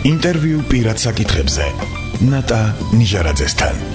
ინტერვიუ პირად საკითხებზე ნატა ნიჟარაძესთან.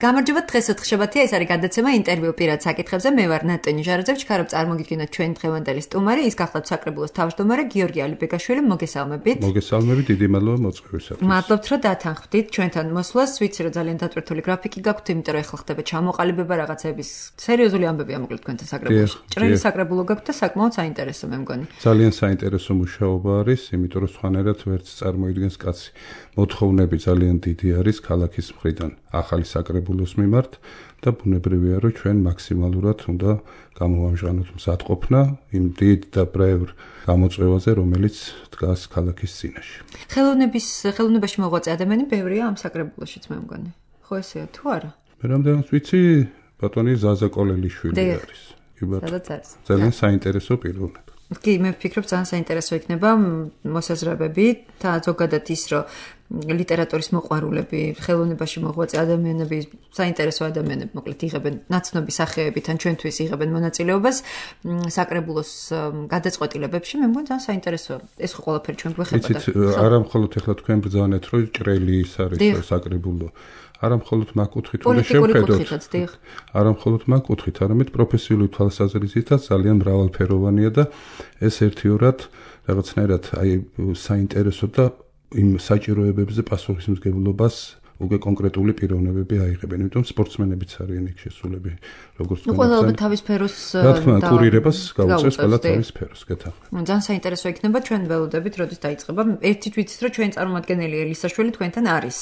გამარჯობა, დღეს ოთხშაბათია, ეს არის გადაცემა ინტერვიუ პირად საკითხებზე. მე ვარ ნატა ნიჟარაძე, ვჩქარობ წარმოგიდგინოთ ჩვენი დღევანდელი სტუმარი, ის გახლავთ საკრებულოს თავმჯდომარე გიორგი ალიბეგაშვილი. მოგესალმებით. მოგესალმებით, დიდი მადლობა მოწვევისათვის. მადლობთ, რომ დათანხმდით ჩვენთან მოსვლას. ვიცი, რომ ძალიან დატვირთული გრაფიკი გაქვთ, იმიტომ რომ ეხლა ხდება ჩამოყალიბება რაღაცების სერიოზული ამბებია მოკლედ თქვენთან საკრებულოში. ჭრელი საკრებულო გაქვთ და საკმაოდ საინტერესო მე მგონი. ძალიან საინტერესო მუშაობა არის, იმიტომ რომ სხვანაირად ვერც წარმოიდგენს კაცი. მოთხოვნები ძალიან დიდი არის ქალაქის მხრიდან ახალი საკრებულოს მიმართ და ბუნებრივია, რომ ჩვენ მაქსიმალურად უნდა გამოვამჟღავნოთ მზადყოფნა იმ დიდ და ბრევ გამოწვევაზე, რომელიც დგას ქალაქის წინაშე. ხელოვნებაში მოღვაწე ადამიანი ბევრია ამ საკრებულოშიც მე მგონი. ხო ესეა თუ არა? მე რამდენად ვიცი, ბატონი ზაზა კოლელიშვილი არის. კი ბატონო. ძალიან საინტერესო პიროვნება. კი, მე ვფიქრობ, ძალიან საინტერესო იქნება მოსაზრებები და ზოგადად ის, რომ ლიტერატურის მოყვარულები, ხელოვნებაში მოღვაწე ადამიანები, საინტერესო ადამიანები, მოკლედ იღებენ ნაცნობი სახეებით ან ჩვენთვის იღებენ მონაწილეობას საკრებულოს გადაწყვეტილებებში, მე მგონი ძალიან საინტერესოა. ეს ხო ყველაფერი ჩვენ გვეხება. იცით, არა მხოლოდ ეხლა თქვენ ბრძანეთ, რომ ჭრელი ის არის საკრებულო. არა მხოლოდ მაგ კუთხით უნდა შევხედოთ. არა მხოლოდ მაგ კუთხით, არამედ პროფესიული თვალსაზრისითაც ძალიან მრავალფეროვანია და ეს ერთიორად რაღაცნაირად აი საინტერესო და იმ საჭიროებებზე პასუხისმგებლობას უკვე კონკრეტული პიროვნებები აიღებენ. იმიტომ სპორტსმენებიც არიან იქ შესულები, როგორც თქვენ. ყველა თავის სფეროს რა თქმა უნდა, კურირებას გაუწევს ყველა თავის სფეროს, გეთანხმებით. ძალიან საინტერესო იქნება ჩვენ ველოდებით, როდის დაიწყება. ერთით ვიცით, რომ ჩვენი წარმომადგენელი ელისაშვილი თქვენთან არის.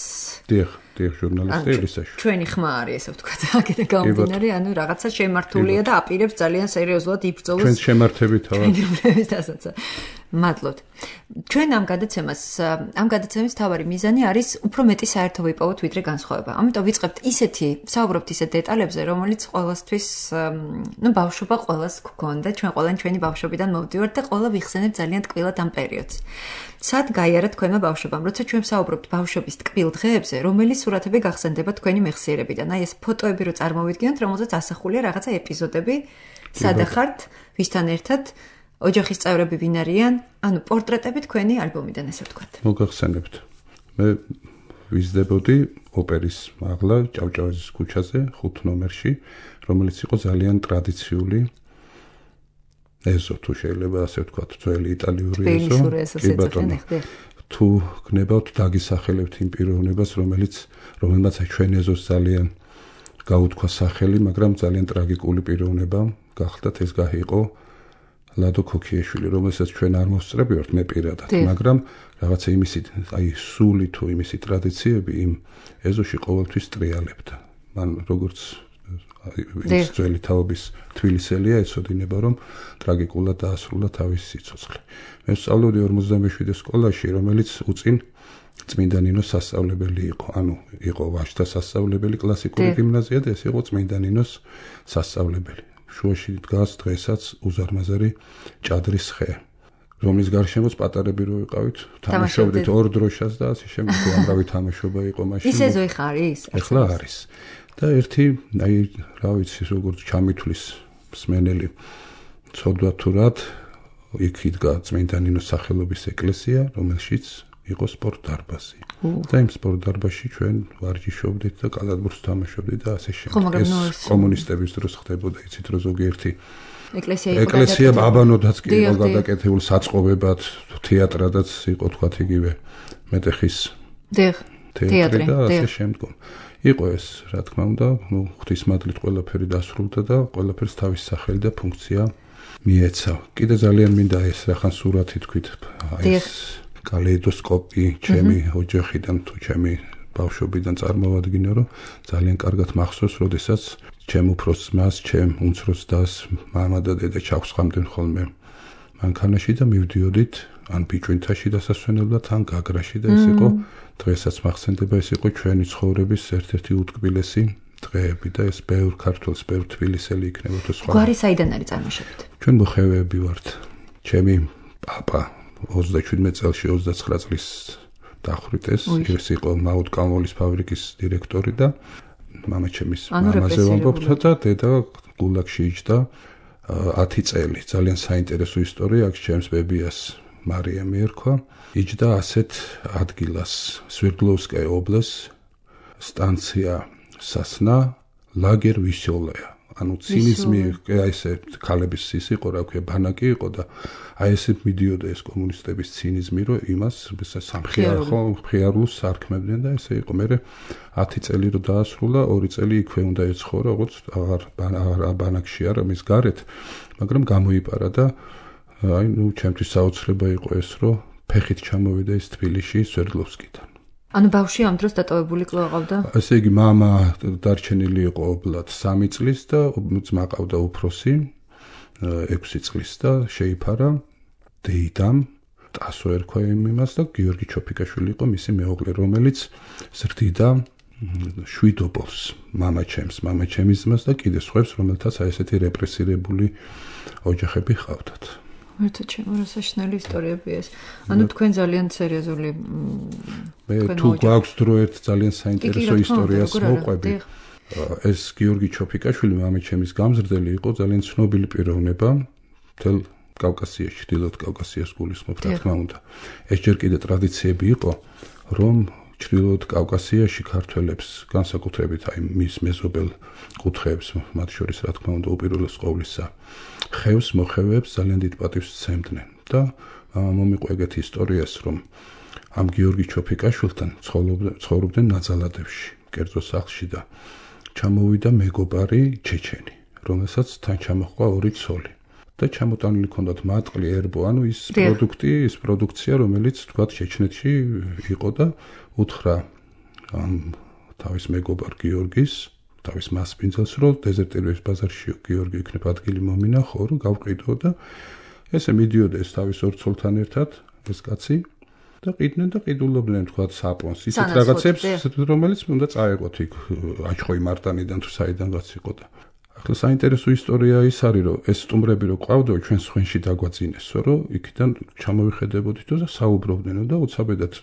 დიახ, ჟურნალისტი ელისაშვილი. ჩვენი ხმა არის, ესე ვთქვათ, აქედან გამომდინარე, ანუ რაღაცა შემართულია და აპირებს ძალიან სერიოზულად იბრძოლოს. ჩვენ შემართებით თავად. მადლობთ. ჩვენ ამ გადაცემის თავარი მიზანი არის უფრო მეტი საერთო ვიპოვოთ ვიდრე განსხვავება. ამიტომ ვიწყებთ საუბრობთ ისეთ დეტალებზე, რომელიც ყოველთვის, ბავშვობა ყოველას გქონდა, ჩვენ ყველანი ჩვენი ბავშვობიდან მოვდივართ და ყველა ვიხსენებთ ძალიან ტკბილად ამ პერიოდს. სად გაიარა თქვენმა ბავშვობამ, როცა ჩვენ საუბრობთ ბავშვობის ტკბილ დღეებზე, რომელი სურათები გახსენდება თქვენი მეხსიერებიდან? აი ეს ფოტოები რო წარმოვიდგინოთ, რომელზეც ასახულია რაღაცა ეპიზოდები, სადახართ, ვისთან ერთად ოჯახის წევრები ვინ არიან, ანუ პორტრეტები თქვენი ალბომიდან, ესე ვთქვათ. მოგახსენებთ. მე ვიზრდებოდი ოპერის მაღლა ჭავჭავაძის ქუჩაზე 5 ნომერში, რომელიც იყო ძალიან ტრადიციული ეზო, თუ შეიძლება ასე ვთქვათ, ძველი იტალიური ეზო. კი ბატონო. თუ გნებავთ დაგისახელებთ იმ პიროვნებას, რომელმაც ჩვენ ეზოს ძალიან გაუთქვა სახელი, მაგრამ ძალიან ტრაგიკული პიროვნება გახდათ, ეს გაიყო ლადო ქოქიაშვილი, რომელსაც ჩვენ არ მოსწრებივართ მე პირადად, მაგრამ რაღაცა იმისი, აი სული თუ იმისი ტრადიციები იმ ეზოში ყოველთვის ტრიალებდა. მან როგორც ის ძველი თაობის თბილისელია, ეცოდინება, რომ ტრაგიკულად დაასრულა თავის სიცოცხლე. მე ვსწავლობდი 57 სკოლაში, რომელიც უწინ წმინდა ნინოს სასწავლებელი იყო. ანუ იყო ვაჟთა სასწავლებელი კლასიკური გიმნაზია და ეს იყო წმინდა ნინოს სასწავლებელი. შუაში დგას დღესაც უზარმაზარი ჭადრის ხე, რომლის გარშემოც პატარები რო ვიყავით, თამაშობდით ორ დროშას და ასე შემდეგ. უამრავი თამაშობა იყო მაშინ. ის ეზო ეხლა არის? ეხლა არის. და ერთი, აი, რა ვიცი, როგორც ჩამithვლის მსმენელი ცოდვა თუ რად, იქ იდგა წმინდა ნინოს სახელობის ეკლესია, რომელშიც იყო სპორტ დარბაზი. და იმ სპორტ დარბაზში ჩვენ ვარჯიშობდით და კალათბურთს თამაშობდით და ასე შემდეგ. ეს კომუნისტების დროს ხდებოდა, იცით, რომ ზოგიერთი ეკლესია აბანოდაც კი იყო გადაკეთებული, საწყობებად, თეატრადაც იყო თქვათ იგივე მეტეხის თეატრი და ასე შემდგომ. იყო ეს, რა თქმა უნდა, ღვთისმადლით ყველაფერი დასრულდა და ყველაფერს თავის სახელი და ფუნქცია მიეცა. კიდე ძალიან მინდა ეს რახან სურათი თქვით, ეს კალეიდოსკოპი ჩემი ოჯახიდან თუ ჩემი ბავშვობიდან წარმოვადგინე, რომ ძალიან კარგად მახსოვს, როდესაც ჩემ უფროს ძმას, ჩემ უმცროს დას, მამა და დედა ჩავსხამდნენ ხოლმე მანქანაში და მივდიოდით ან ბიჭვინთაში დასასვენებლად, ან გაგრაში და ეს იყო დღესაც მახსენდება, ეს იყო ჩვენი ცხოვრების ერთ-ერთი უტკბილესი დღეები და ეს ბევრ ქართველს, ბევრ თბილისელი იქნებოდა სხვა. გვარი საიდან არის წარმოშობით? ჩვენ მოხევეები ვართ. ჩემი პაპა 37 წელს 29 წლის დახვრიტეს, ეს იყო მაუტკალმოლის ფაბრიკის დირექტორი და მამაჩემის მამაზე ვამბობთ და დედა გულაგში იჯდა 10 წელი. ძალიან საინტერესო ისტორია აქვს ჩემს ბებიას მარია მიერქვა. იჯდა ასეთ ადგილას სვერდლოვსკაია ობლას სტანცია სასნა ლაგერ ვისოლეა. ანუ ცინიზმი ესე ქალების ის იყო, რა ქვია, ბანაკი იყო და აი ესე მიდიოდა ეს კომუნისტების ცინიზმი, რომ იმას სამხიარულს სარქმებდნენ და ესე იყო. მე 10 წელი რო დაასრულა, 2 წელი იქვე უნდა ეცხოვრა, როგორც აღარ ბანაკში არა მის გარეთ, მაგრამ გამოიპარა და აი ნუ ჩემთვის საოცრება იყო ეს, რომ ფეხით ჩამოვიდა ეს თბილისში სვერდლოვსკიდან. ანუ ბავშვი ამ დროს დატოვებული კვლავ ყავდა? ესე იგი, მამა დარჩენილი იყო ობლად 3 წლის და ძმა ყავდა უფროსი 6 წლის და შეიფარა დეიდამ, ტასო ერქვა იმას და გიორგი ჩოფიკაშვილი იყო მისი მეუღლე, რომელიც ზრდიდა შვიდობოს მამაჩემის ძმას და კიდე სხვებს, რომელთაც აი ესეთი რეპრესირებული ოჯახები ჰყავდათ. მერტო ჩემო რა საშინელი ისტორიებია ეს. ანუ თქვენ ძალიან სერიოზული მე თუ გვაქვს დრო ერთ ძალიან საინტერესო ისტორიას მოყვები. ეს გიორგი ჩოფიკაშვილი მამაჩემის გამზრდელი იყო, ძალიან ცნობილი პიროვნება მთელ კავკასიაში, ჩრდილოეთ კავკასიას გულისხმობ, რა თქმა უნდა. ეს ჯერ კიდე ტრადიციები იყო, რომ ჩრდილოეთ კავკასიაში ქართველებს განსაკუთრებით აი მის მეზობელ კუთხეებს, მათ შორის რა თქმა უნდა უპირველეს ყოვლისა ხევს მოხევებს ძალიან დიდ პატივს სცემდნენ და მომიყვა ეგეთი ისტორიას, რომ ამ გიორგი ჩოფიკაშვილთან ცხოვრობდნენ ნაძალადებში, კერძო სახლში და ჩამოვიდა მეგობარი ჩეჩენი, რომელსაც თან ჩამოჰყვა 2 ცოლი და ჩამოტანილი ჰქონდათ მატყლი, ერბო, ანუ ის პროდუქცია, რომელიც თქვათ ჩეჩნეთში იყო და უთხრა ამ თავის მეგობარ გიორგის, თავის მასპინძელს, რომ დეზერტირების ბაზარში გიორგი იქნებ ადგილი მომინახო, რომ გავყიდო და ესე მიდიოდა ეს თავის 2 ცოლთან ერთად, ეს კაცი და ყიდნენ და ყიდულობდნენ თქვათ საპონს, ისეთ რაღაცებს, რომელიც უნდა წაეღოთ იქ აჩხოი მარტანიდან თუ საიდანღაც იყო და ახლა საინტერესო ისტორია ის არის, რომ ეს სტუმრები რო ყავდო ჩვენ სხვენში დაგვაწინესო, რომ იქიდან ჩამოვიხედებოდით და საუბრობდნენ და უცაბედად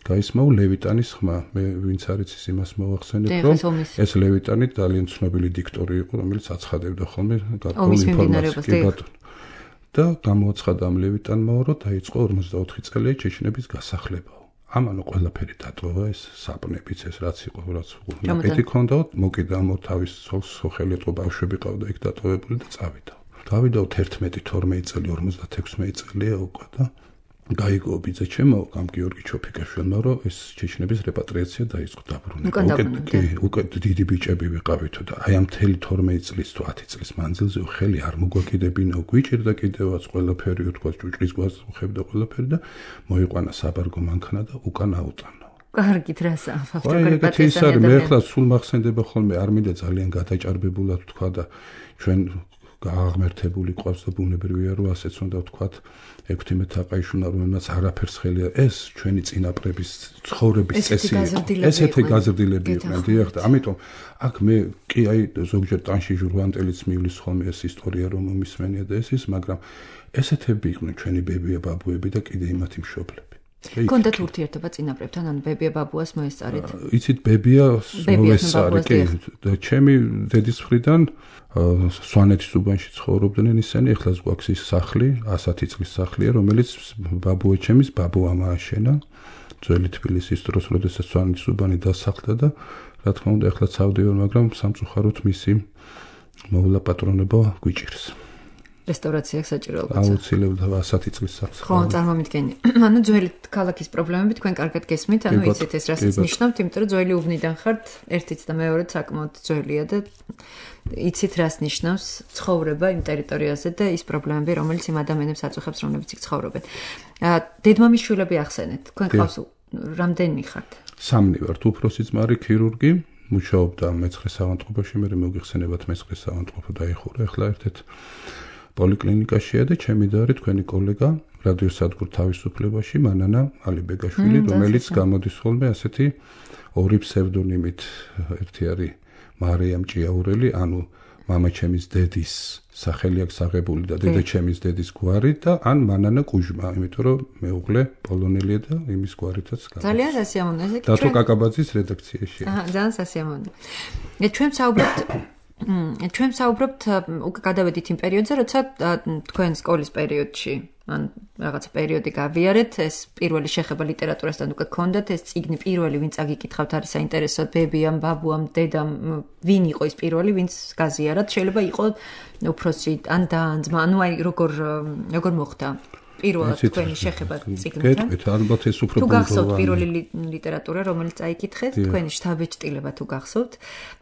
გაისმაო ლევიტანის ხმა. მე ვინც არის ის იმას მოვახსენებ, რომ ეს ლევიტანი ძალიან ცნობილი დიქტორი იყო, რომელიც აცხადებდა ხოლმე გარკვეულ ინფორმაციას. და გამოაცხადა ამ ლევიტანმა, რომ დაიწყო 54 წელია ჩეჩნების გასახლება. ამანო ყველაფერი დატოვა, ეს საპნებიც, ეს რაც იყო, რაც მეტი ქონდა, მოკიდა ამ თავის ცოლს ხელეთო ბავშვები ყავდა იქ დატოვებული და წავიდა. გავიდა 11-12 წელი, 56 წელია უკვე და გაიგო ბიძა ჩემო ამ გიორგი ჩოფიკაშვილმა, რომ ეს ჩეჩნების რეპატრიაცია დაიწყო დაბრუნება. უკვე დიდი ბიჭები ვიყავითო და აი ამ მთელი 12 წლის თუ 10 წლის მანძილზე ხელი არ მოგვაკიდებინა, გვიჭირდა კიდევაც ყველაფერი, თქვა ჭუჭყის გვას უხებდა ყველაფერი და მოიყვანა საბარგო მანქანა და უკან აუტანა. კარგით რა საფახტო ეს არის, მე ახლა სულ მახსენდება ხოლმე, არ მინდა ძალიან გადაჭარბებულად თქვა და ჩვენ გააღმერთებული ყავს და ბუნებრივია, რომ ასეც უნდა ვთქვათ, ექვთიმე თაყაიშვილმა, რომელმაც არაფერს ხელი ეს ჩვენი წინაპრების ცხოვრების წესი იყო. ესეთი გაზრდილები იყვნენ, დიახ, და ამიტომ აქ მე კი აი ზოგჯერ ტანში ჟურვანტელიც მივლის ხოლმე ეს ისტორია, რომ მომისმენია და ეს ის, მაგრამ ესეთები იყვნენ ჩვენი ბებია ბაბუები და კიდე იმათი მშობლები. კონდათ ურთიერთობა წინაპრებთან, ან ბებია ბაბუას მოესწარით? იცით, ბებია მოესწარი, კი, და ჩემი დედის მხრიდან სვანეთის უბანში ცხოვრობდნენ ისინი, ეხლა გვაქვს ის სახლი, 110 წლის სახლია, რომელიც ბაბუეჩემის ბაბუამ ააშენა ძველი თბილისის დროს, როდესაც სვანეთის უბანი დასახლდა და რა თქმა უნდა, ეხლა ცავდი ვარ, მაგრამ სამწუხაროდ მისი მოვლა პატრონება გვიჭირს. რესტავრაცია საჭიროა. აუცილებლად 100 წლის სახს. ხო, წარმომიდგენი. ანუ ძველი ქალაქის პრობლემები თქვენ კარგად გესმით, ანუ იცით ეს რასაც ნიშნავთ, იმიტომ რომ ძველი უბნიდან ხართ, ერთიც და მეორეც საკმაოდ ძველია და იცით რას ნიშნავს ცხოვრება იმ ტერიტორიაზე და ის პრობლემები, რომელიც იმ ადამიანებს აწუხებს, რომლებიც იქ ცხოვრობენ. დედმამის შვილები ახსენეთ, თქვენ ყავს რამდენი ხართ? 3 ვართ, უფროსი ძმარი ქირურგი, მუშაობდა მე-9 საავადმყოფოში, მე მოგიხსენებათ მე-9 საავადმყოფო დაიხურა, ახლა ერთ-ერთ პოლიკლინიკაშია და ჩემი და არის თქვენი კოლეგა რადიოსადგურ თავისუფლებაში მანანა ალიბეგაშვილი, რომელიც გამოდის ხოლმე ასეთი ორი ფსევდონიმით, ერთი არის მარიამ ჭიაურელი, ანუ მამაჩემის დედის სახელი აქვს აღებული და დედაჩემის დედის გვარი და ან მანანა კუჟმა, იმიტომ რომ მეუღლე პოლონელია და იმის გვარითაც გამოდის. ძალიან სასიამოვნო ეს. დათო კაკაბაძის რედაქციაშია. ძალიან სასიამოვნო. ჩვენ საუბრობთ უკვე გადავედით იმ პერიოდზე, როცა თქვენ სკოლის პერიოდში ან რაღაცა პერიოდი გავიარეთ, ეს პირველი შეხება ლიტერატურასთან უკვე გქონდათ, ეს წიგნი პირველი ვინც აგიკითხავთ არის საინტერესო, ბებიამ, ბაბუამ, დედამ, ვინ იყო ის პირველი, ვინც გაზიარათ, შეიძლება იყო უფროსი ან დაანძმა, ანუ აი როგორ მოხდა პირველად თქვენი შეხება წიგნთან. გეტყვით, ალბათ ეს უფრო თუ გახსოვთ პირველი ლიტერატურა, რომელიც აიკითხეთ, თქვენი შთაბეჭდილება თუ გახსოვთ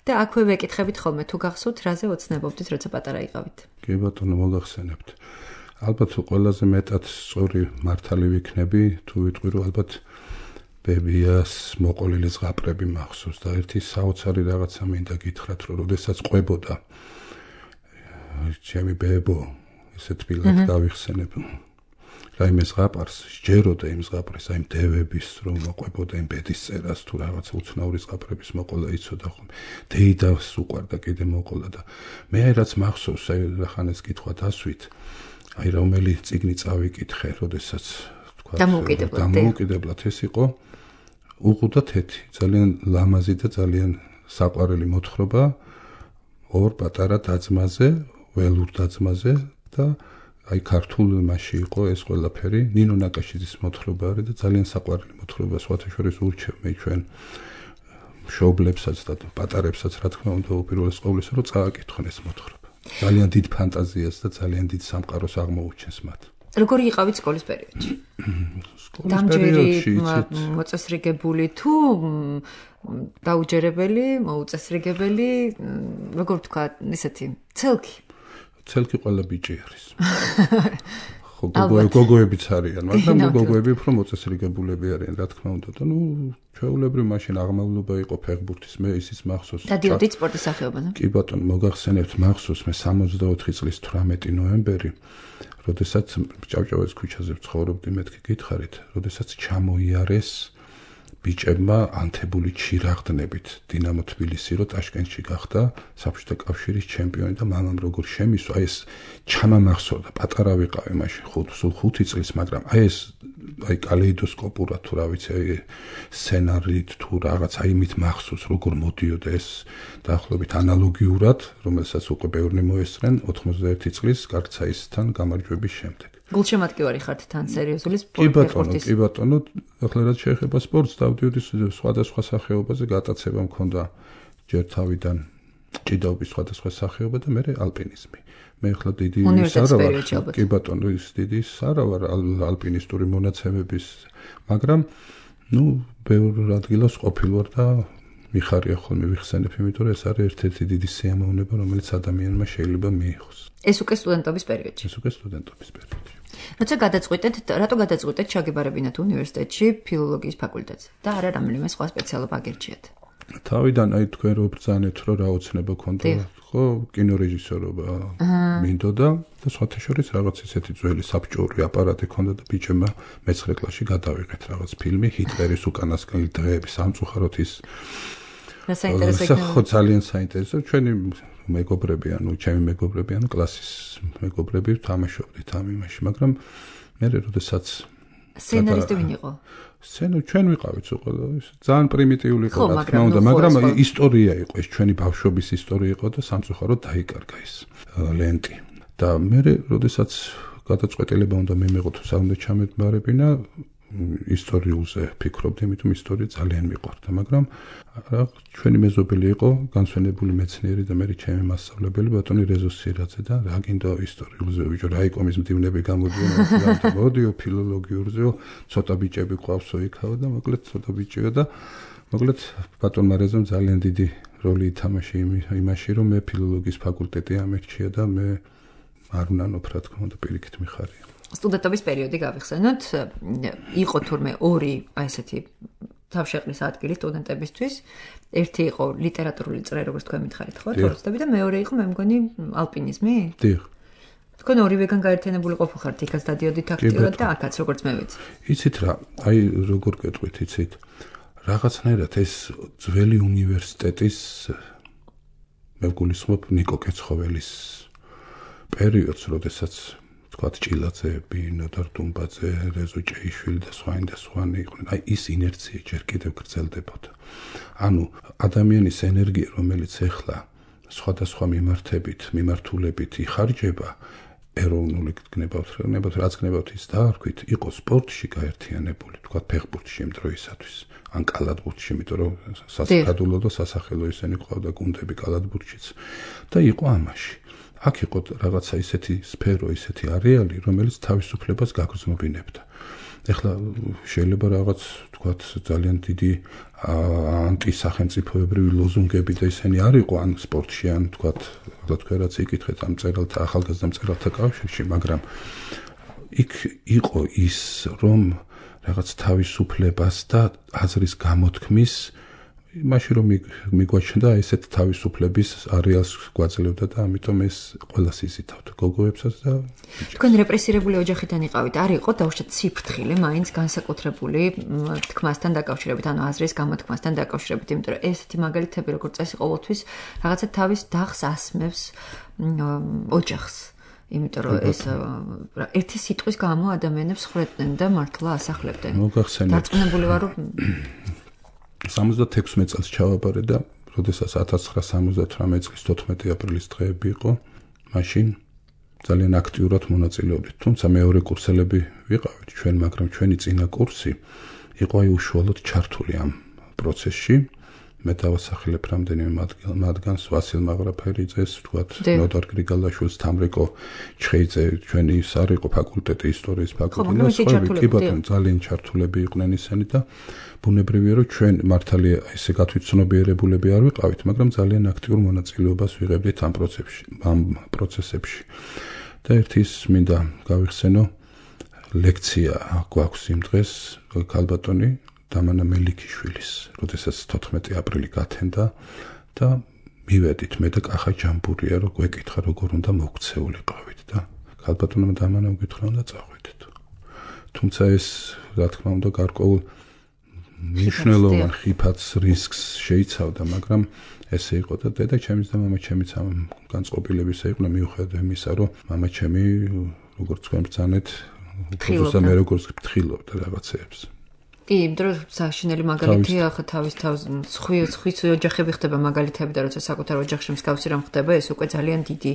და აქვე ვეკითხებით ხოლმე თუ გახსოვთ, რაზე ოცნებობდით, როცა პატარა იყავით. კი ბატონო, მოგახსენებთ. ალბათ ყველაზე მეტად სწორი მართალი ვიქნები, თუ ვიტყვი რომ ალბათ ბებიას მოყოლილი ზღაპრები მახსოვს და ერთი საოცარი რაღაცა მინდა გითხრათ, რომ როდესაც ყვებოდა ჩემი ბებო, ესე თბილად გავიხსენებ. რაიმე ზღაპარს, სჯეროდა იმ ზღაპრის, აი მდევების, რომ მოყვებოდა იმ ბედის წერას თუ რაღაცა უცნაური ზღაპრების მოყოლა იცოდა ხოლმე. დეიდას უყვარდა კიდე მოყოლა და მე აი რაც მახსოვს, აი რახანეს კითხვა დასვით, აი რომელი წიგნი წავიკითხე, როდესაც თქვა დამოუკიდებლად ეს იყო უყუდა თეთი, ძალიან ლამაზი და ძალიან საყვარელი მოთხრობა ორ პატარა დაძმაზე, ველურ დაძმაზე და აი ქართულ მასში იყო ეს ყველაფერი, ნინო ნაკაშიძის მოთხრობა არის და ძალიან საყვარელი მოთხრობა, სხვათა შორის ურჩევ მე ჩვენ მშობლებსაც და პატარებსაც რა თქმა უნდა უპირველეს ყოვლისა რომ წააკითხონ ეს მოთხრობა. ძალიან დიდ ფანტაზიას და ძალიან დიდ სამყაროს აღმოუჩენს მათ. როგორი იყავით სკოლის პერიოდში? სკოლის პერიოდში მოწესრიგებული თუ დაუჯერებელი, მოუწესრიგებელი, როგორ თქვა, ისეთი ცელკი ყველა ბიჭი არის. ხო, გოგოებიც არიან, მაგრამ გოგოები უფრო მოწესრიგებულები არიან, რა თქმა უნდა. და ჩვეულებრივ მაშინ აღმავლობა იყო ფეხბურთის, მე ისიც მახსოვს. დადიოდით სპორტის სახეობაზე? კი ბატონო, მოგახსენებთ, მახსოვს მე 64 წლის 18 ნოემბერი, როდესაც ჭავჭავაძის ქუჩაზე ვცხოვრობდი, მეთქი გითხარით, როდესაც ჩამოიარეს ბიჭებმა ანთებული ჩირაღდნებით დინამო თბილისი, რომ ტაშკენტში გახდა საბჭოთა კავშირის ჩემპიონი და მამამ როგორ შემისვა, აი ეს ჩამამახსოვდა, პატარა ვიყავი მაშინ, სულ 5 წლის, მაგრამ აი ეს აი კალეიდოსკოპურად თუ რა ვიცი, აი სცენარით თუ რაღაც აი იმით მახსოვს, როგორ მოდიოდა ეს დაახლოებით ანალოგიურად, რომელსაც უკვე ბევრნი მოესწრენ 91 წლის გარცაისთან გამარჯვების შემდეგ. გულშემატკივარი ხართ თან სერიოზული სპორტის. კი ბატონო, ახლა რაც შეეხება სპორტს, დავდიოდი სხვადასხვა სახეობაზე, გატაცება მქონდა ჯერ თავიდან ჭიდაობის სხვადასხვა სახეობა და მე ალპინიზმი. მე ახლა დიდი სარავარ, კი ბატონო, ის დიდი სარავარ ალპინისტური მონაცემების, მაგრამ ბევრ ადგილას ყოფილ ვარ და მიხარია ხოლმე ვიხსენებ, იმიტომ რომ ეს არის ერთ-ერთი დიდი სიამოვნება, რომელიც ადამიანმა შეიძლება მიიღოს. ეს უკვე სტუდენტობის პერიოდში. როცა გადაწყვიტეთ, რატო გადაწყვიტეთ ჩაგებარებინათ უნივერსიტეტში ფილოლოგიის ფაკულტეტზე და არა რომელიმე სხვა სპეციალობა აგერჩიათ? თავიდან აი თქვენ რო ბრძანეთ, რომ რა ოცნება ქონდა, ხო, კინორეჟისორობა მინდოდა და სხვათა შორის რაღაც ისეთი ძველი საბჭოური აპარატი ქონდა და ბიჭებმა მე-9 კლასში გადავიღეთ რაღაც ფილმი ჰიტლერის უკანასკნელი დღეები, სამწუხაროდ ის რა საინტერესო იქნება? ხო, ძალიან საინტერესო. ჩვენი მეგობრები, ჩემი მეგობრები, კლასის მეგობრები თამაშობდით ამ იმაში, მაგრამ მე როდესაც სცენარისტი ვინ იყო? ჩვენ ვიყავით უყოლა, ძალიან პრიმიტიული იყო, რა თქმა უნდა, მაგრამ ისტორია იყო, ეს ჩვენი ბავშვობის ისტორია იყო და სამწუხაროდ დაიკარგა ეს ლენტი. და მე როდესაც გადაწყვეტილება უნდა მიმეღო თუ სა უნდა ჩამებარებინა, ისტორიულზე ფიქრობდი, იმიტომ ისტორია ძალიან მიყვარდა, მაგრამ ჩვენი მეზობელი იყო განსვენებული მეცნიერი და მე ჩემი მასწავლებელი ბატონი რეზო სირაძე და რა გინდა ისტორიულზე ბიჭო, რაიკომის მდივნები გამოდიო, მოდიო ფილოლოგიურზეო, ცოტა ბიჭები ყავსო იქაო და მოკლედ ცოტა ბიჭია და მოკლედ ბატონმა რეზომ ძალიან დიდი როლი ითამაშა იმაში, რომ მე ფილოლოგიის ფაკულტეტი ამერჩია და მე არ ვნანობ რა თქმა უნდა პირიქით მიხარია. სტუდენტობის პერიოდი გავიხსენოთ, იყო თურმე ორი ესეთი თავშეყრის ადგილი სტუდენტებისთვის. ერთი იყო ლიტერატურული წრე, როგორც თქვენ მითხარით, ხო, თორստები და მეორე იყო მე მგონი ალპინიზმი? დიახ. თქვენ ორივეგან გაერთიანებული ყოფილიყართ, იქაც დადიოდით აქტიურად და აქაც როგორც მე ვიცი. იცით რა, აი როგორ გეტყვით, იცით? რაღაცნაირად ეს ძველი უნივერსიტეტის მე ვგულისხმობ ნიკო კეცხოველის პერიოდს, როდესაც თქვათ ჭილაძეები, ნოდარ დუმბაძე, რეზო ჭეიშვილი და სხვანი იყვნენ. აი ის ინერცია ჯერ კიდევ გრძელდებოდა. ანუ ადამიანის ენერგია, რომელიც ეხლა სხვადასხვა მიმართულებით იხარჯება, ეროვნული გნებავთ, რაც გნებავთ ის დაარქვით, იყო სპორტში გაერთიანებული, თქვათ ფეხბურთში იმ დროისათვის, ან კალათბურთში, იმიტომ რომ სასახადულო და სასახელო ისინი ყავდა გუნდები კალათბურთშიც და იყო ამაში. აქ იყო რაღაცა ისეთი სფერო, ისეთი არეალი, რომელიც თავისუფლებას გაგრძნობინებდა. ეხლა შეიძლება რაღაც თქვათ ძალიან დიდი ანტისახელმწიფოებრივი ლოზუნგები და ისინი არ იყო ან სპორტში, ან თქვათ თქვენ რაც იკითხეთ ამ მწერალთა ახალგაზრდა მწერალთა კავშირში, მაგრამ იქ იყო ის, რომ რაღაც თავისუფლებას და აზრის გამოთქმის იმაში რომ მიგვაჩნდა ესეთ თავისუფლების არეალს გვაძლევდა და ამიტომ ეს ყველას იზითავთ გოგოებსაც და თქვენ რეპრესირებული ოჯახიდან იყავით, არ იყო დაუშვათ სიფრთხილე მაინც განსაკუთრებული თქმასთან დაკავშირებით, ანუ აზრის გამოთქმასთან დაკავშირებით, იმიტომ რომ ესეთი მაგალითები როგორც წესი ყოველთვის რაღაცა თავის დახს ასმევს ოჯახს. იმიტომ რომ ეს ერთი სიტყვის გამო ადამიანებს ხრედნენ და მართლა ასახლებდნენ. დარწმუნებული ვარ რომ 76 წელს ჩავაბარე და როდესაც 1978 წლის 14 აპრილის დღეები იყო, მაშინ ძალიან აქტიურად მონაწილეობდით. თუმცა მეორე კურსელები ვიყავით ჩვენ, მაგრამ ჩვენი წინა კურსი იყო აი უშუალოდ ჩართული ამ პროცესში. მე დავასახელებ რამდენიმე მათგანს, ვასილ მაღრაფერიძეს, თქვათ, ნოდარ გრიგალაშვილს, თამრიკო ჩხეიძე, ჩვენი ის არ იყო ფაკულტეტი, ისტორიის ფაკულტეტი და სხვა კი ბატონო, ძალიან ჩართულები იყვნენ ისინი და ბუნებრივია რომ ჩვენ მართალია ესე გათვითცნობიერებულები არ ვიყავით, მაგრამ ძალიან აქტიურ მონაწილეობას ვიღებდით ამ პროცესებში. და ერთის მინდა გავიხსენო ლექცია გვაქვს იმ დღეს ქალბატონი დამანა მელიქიშვილის, როდესაც 14 აპრილი გათენდა და მივედით მე და კახა ჯამბურია რომ გვეკითხა როგორ უნდა მოქცეულიყავით და ქალბატონმა დამანამ გითხრა უნდა წაღვიდეთ. თუმცა ეს რა თქმა უნდა გარკვეულ მნიშვნელოვან ხიფათს რისკს შეიცავდა, მაგრამ ესე იყო და დედა ჩემის და მამა ჩემიც ამ განწყობილებისა იყვნენ მიუხედავად იმისა, რომ მამა ჩემი როგორც თქვენ ბრძანეთ, უბრალოდ მე როგორც ფთხილობდა რაღაცეებს. კი, იმიტომ საშინელი მაგალითი ახლა თავის სხვის ოჯახები ხდება მაგალითები და როცა საკუთარ ოჯახში მსგავსი რამ ხდება, ეს უკვე ძალიან დიდი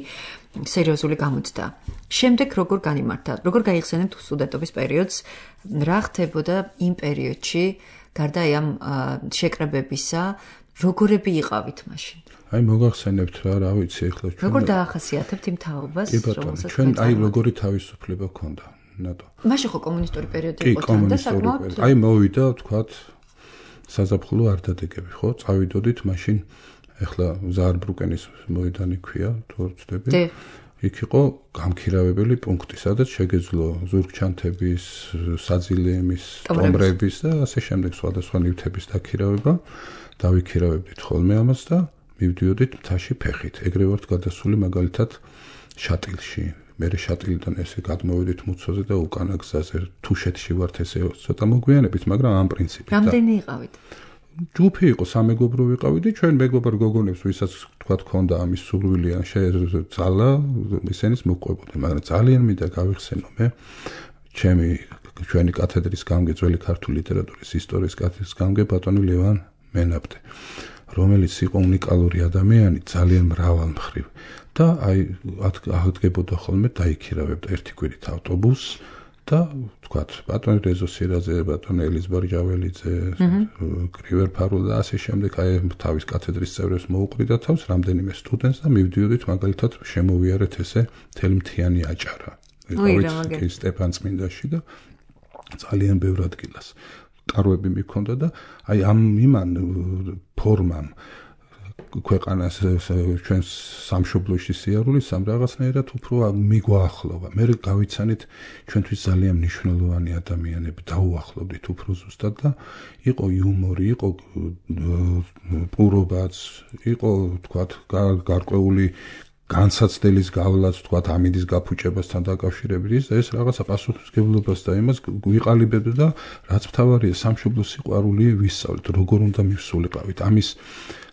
სერიოზული გამოცდა. შემდეგ როგორ განიმართა? როგორ გაიხსენებთ სტუდენტობის პერიოდს? რა ხდებოდა იმ პერიოდში, გარდა ამ შეკრებებისა, როგორები იყავით მაშინ? აი მოგახსენებთ რა ვიცი ახლა ჩვენ. როგორ დაახასიათებთ იმ თაობას, რომელსაც ჩვენ აი როგორი თავისუფლება ჰქონდა? ნატო. მაშინ ხო კომუნისტური პერიოდი იყო და საკმაოდ აი მოვიდა თქვათ საზაფხულო არ დადეგები, ხო? წავიდოდით მაშინ ეხლა ზაარბრუკენის მოედანი ქვია, თუ არ ვცდები. იქ იყო გამქირავებელი პუნქტი, სადაც შეგეძლო ზურგჩანთების, საძილეების, ტომრების და ასე შემდეგ სხვადასხვა ნივთების დაქირავება. დავიქირავებდით ხოლმე ამას და მივდიოდით მთაში ფეხით. ეგრე ვართ გადასული მაგალითად შატილში. მე შატილიდან ესე გადმოვედით მუცოზე და უკანა გზაზე თუშეთში ვართ ესე ცოტა მოგვიანებით, მაგრამ ამ პრინციპით. რამდენი იყავით? ჯუფი იყო, სამეგობრო ვიყავით და ჩვენ მეგობრ გოგონებს, ვისაც თქვა ქონდა ამის სურვილი ან შეძალა, ისინიც მოყვებოდნენ, მაგრამ ძალიან მინდა გავიხსენო მე ჩვენი კათედრის გამგე, ძველი ქართული ლიტერატურის ისტორიის კათედრის გამგე ბატონი ლევან მენაბდე, რომელიც იყო უნიკალური ადამიანი, ძალიან მრავალმხრივ. და აი აღდგებოდა ხოლმე დაიქირავებდა ერთი კვირით ავტობუსს და თქვათ ბატონ რეზო სირაძე, ბატონ ელის ბარჯაველიძე, გრივერ ფარულა და ასე შემდეგ აი თავის კათედრის წევრებს მოუყრიდა თავს რამდენიმე სტუდენტს და მივდიოდით მაგალითად შემოვიარეთ ესე თელმთიანი აჭარა. ვიყავით სტეფან წმინდაში და ძალიან ბევრ ადგილას კარვები მიქონდა და აი ამ იმან ფორმამ ქვეყანას ჩვენს სამშობლოში სიარულის სამ რაღაცნაირად უფრო მიგვაახლოვა. მე გავიცანით ჩვენთვის ძალიან მნიშვნელოვანი ადამიანები დაუახლოვდით უფრო ზუსტად და იყო იუმორი, იყო პურობაც, იყო თქვათ გარკვეული განსაცდელის გავლაც, თქვათ ამინდის გაფუჭებასთან დაკავშირებით ეს რაღაცა პასუხისმგებლობას და იმას ვიყალიბებდა და რაც მთავარია სამშობლოს სიყვარული ვისწავლით, როგორ უნდა მივსულიყავით. ამის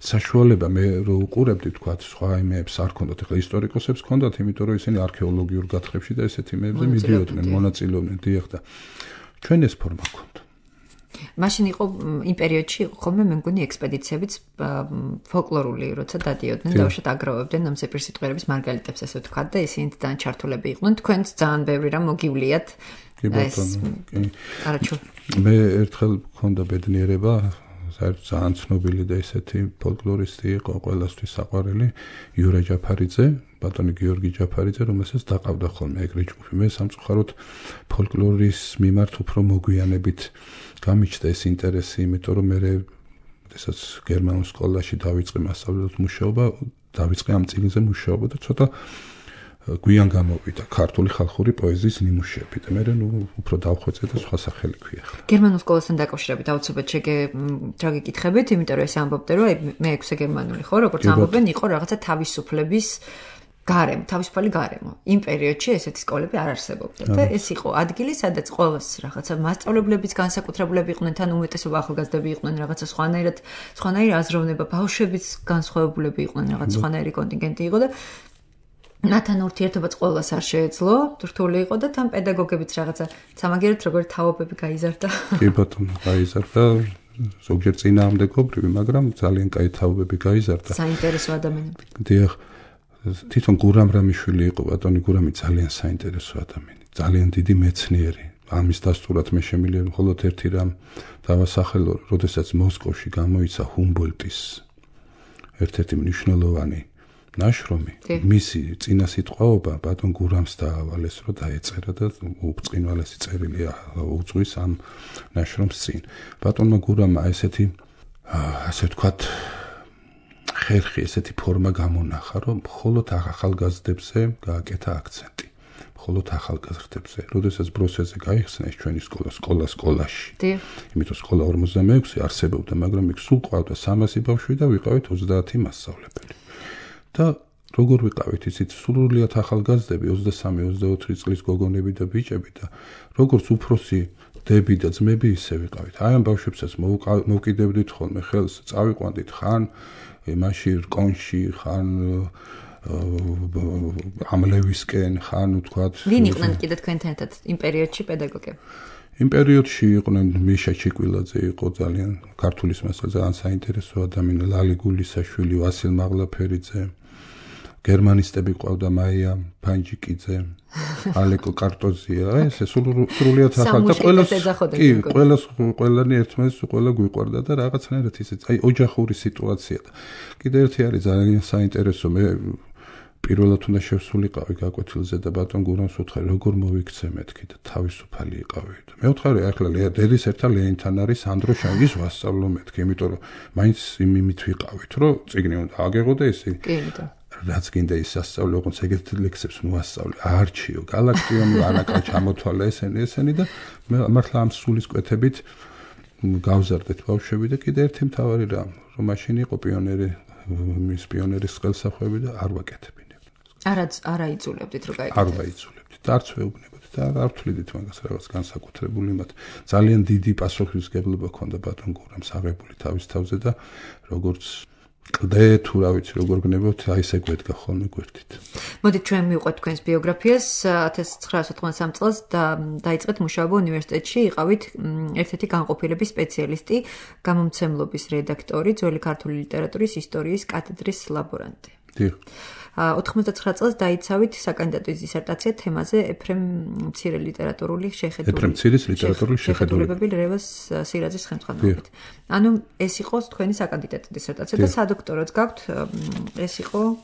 საშუალება მე რო უყურებდი თქვათ სხვა იმეებს არ ქონდათ, ეხლა ისტორიკოსებს ქონდათ, იმიტომ რომ ისინი არქეოლოგიურ გათხრებში და ესეთ იმეებზე მიდიოდნენ, მონაწილეობდნენ, დიახ და ჩვენ ეს ფორმა ქონდა. მაშინ იყო იმ პერიოდში იყო ხოლმე მე მგონი ექსპედიციებიც ფოლკლორული, როცა დადიოდნენ და უშოთ აგროვებდნენ ამ ზეპირსიტყვიერების მარგალიტებს ასე ვთქვათ და ისინი ძალიან ჩართულები იყვნენ. თქვენც ძალიან ბევრი რამ მოგივლიათ. კი ბატონო, კი. არაჩუ. მე ერთხელ მქონდა ბედნიერება საერთოდ ძალიან ცნობილი და ისეთი ფოლკლორისტი იყო ყველასთვის საყვარელი იურა ჯაფარიძე, ბატონი გიორგი ჯაფარიძე, რომელსაც დაყავდა ხოლმე ეგრე ჯგუფი. მე სამწუხაროდ ფოლკლორის მიმართ უფრო მოგვიანებით გამიჩნდა ეს ინტერესი, იმიტომ რომ მე როდესაც გერმანულ სკოლაში დავიწყე მასწავლებლად მუშაობა, დავიწყე ამ წიგნზე მუშაობა და ცოტა გვიან გამოვიდა ქართული ხალხური პოეზიის ნიმუშები და მე უფრო დავხვეწე და სხვა სახელი ქვია. გერმანულ სკოლასთან დაკავშირებით აუცილებლად რა გეკითხებით, იმიტომ რომ ეს ამბობდე რომ მე 6 გერმანული ხო, როგორც ამბობენ, იყო რაღაცა თავისუფლების გარემო, თავისუფალი გარემო. იმ პერიოდში ესეთი სკოლები არ არსებობდა და ეს იყო ადგილი, სადაც ყოველს რაღაცა მასწავლებლებიც განსაკუთრებულები იყვნენ, თან უმეტესობა ახალგაზრდები იყვნენ, რაღაცა სხვანაირი აზროვნება, ბავშვებიც განსხვავებულები იყვნენ, რაღაც სხვანაირი კონტინგენტი იყო და მათთან ურთიერთობაც ყოველას არ შეეძლო, რთული იყო და თან პედაგოგებიც რაღაცა სამაგერად როგორი თაობები გაიზარდა. კი ბატონო, გაიზარდა. ზოგჯერ წინააღმდეგობრივი, მაგრამ ძალიან კაი თაობები გაიზარდა. საინტერესო ადამიანები. დიახ. თვითონ გურამ რამიშვილი იყო ბატონი გურამი ძალიან საინტერესო ადამიანი, ძალიან დიდი მეცნიერი. ამის დასტურად მე შემიძლია მხოლოდ ერთი რამ დავასახელო, როდესაც მოსკოვში გამოიცა ჰუმბოლტის ერთ-ერთი მნიშვნელოვანი ნაშრომი, მისი წინა სიტყვაობა ბატონ გურამს დაავალეს, რომ დაეწერა და უბრწყინვალესი წერილი უძღვის ამ ნაშრომს წინ. ბატონმა გურამმა ესე ვთქვათ ხერხი ესეთი ფორმა გამონახა, რომ მხოლოდ ახალგაზრდებზე გააკეთა აქცენტი. მხოლოდ ახალგაზრდებზე. როდესაც ბროსეზე გაიხსნა ეს ჩვენი სკოლაში. იმიტომ სკოლა 46 არსებობდა, მაგრამ იქ სულ ყავდა 300 ბავშვი და ვიყავით 30 მასწავლებელი. და როგორ ვიყავით ისიც სრულიად ახალგაზრდები 23-24 წლის გოგონები და ბიჭები და როგორც უფროსი დები და ძმები ისე ვიყავით. აი ამ ბავშვებსაც მოვკიდებდით ხოლმე ხელს, წავიყვანდით ხან იმაში რკონში, ხან ამლევისკენ, ხან ვთქვათ. ვინ იყვნენ კიდე თქვენთან ერთად იმ პერიოდში პედაგოგები? იმ პერიოდში იყვნენ მიშა ჩიკვილაძე, იყო ძალიან ქართულის მასალ ძალიან საინტერესო ადამიანი, ლალი გულისაშვილი, ვასილ მაღლაფერიძე. გერმანისტები ყავდა მაია ფანჯიკიძე, ალეკო კარტოზია, ეს სრულიად ახალ და ყველანი ერთმანეთს ყველა გვიყვარდა და რაღაცნაირად ისიც, აი ოჯახური სიტუაცია და კიდე ერთი არის ძალიან საინტერესო, მე პირველად უნდა შევსულიყავი გაკვეთილზე და ბატონ გურამს ვუთხარი, როგორ მოვიქცე მეთქი და თავისუფალი იყავი. მე ვუთხარი, ახლა დედის ერთად ლეონთან არის ანდრო შანგის ვასწავლო მეთქი, იმიტომ რომ მაინც იმით ვიყავით, რომ წიგნი უნდა აგეღო და ესე. რაც გინდა ის სასწავლო, ოღონდ ეგეთი ლექსებს მოასწავლე, არჩიო, გალაქტიონი, ანაკა ჩამოთვალე ესენი და მე მართლა ამ სულის კვეთებით გავზარდეთ ბავშვები და კიდე ერთი მთავარი რამ, რომ მაშინ იყო მის პიონერის ხელსახვევი და არ ვაკეთებინებ. არა იწულებდით რო გაიგეთ. არ ვაიწულებდით და არც ვეუბნებოდი და არ ვთვლიდით მაგას რაღაც განსაკუთრებული მათ. ძალიან დიდი პასუხისმგებლობა ჰქონდა ბატონ გურამს აღებული თავის თავზე და როგორც კლდე თუ რა ვიცი როგორ გნებოთ, აი ესე გვედგა ხოლმე გვერდით. მოდით ჩვენ მივყვეთ თქვენს ბიოგრაფიას 1993 წელს და დაიწყეთ მუშაობა უნივერსიტეტში, იყავით ერთ-ერთი განყოფილების სპეციალისტი, გამომცემლობის რედაქტორი, ძველი ქართული ლიტერატურის ისტორიის კათედრის ლაბორანტი. დიახ. 99 წელს დაიცავით საკანდიდატო დისერტაცია თემაზე ეფრემ მცირე ლიტერატურული შეხედულებები რევას სირაძის ხელმძღვანელობით. ანუ ეს იყო თქვენი საკანდიდატო დისერტაცია და სადოქტოროც გაქვთ, ეს იყო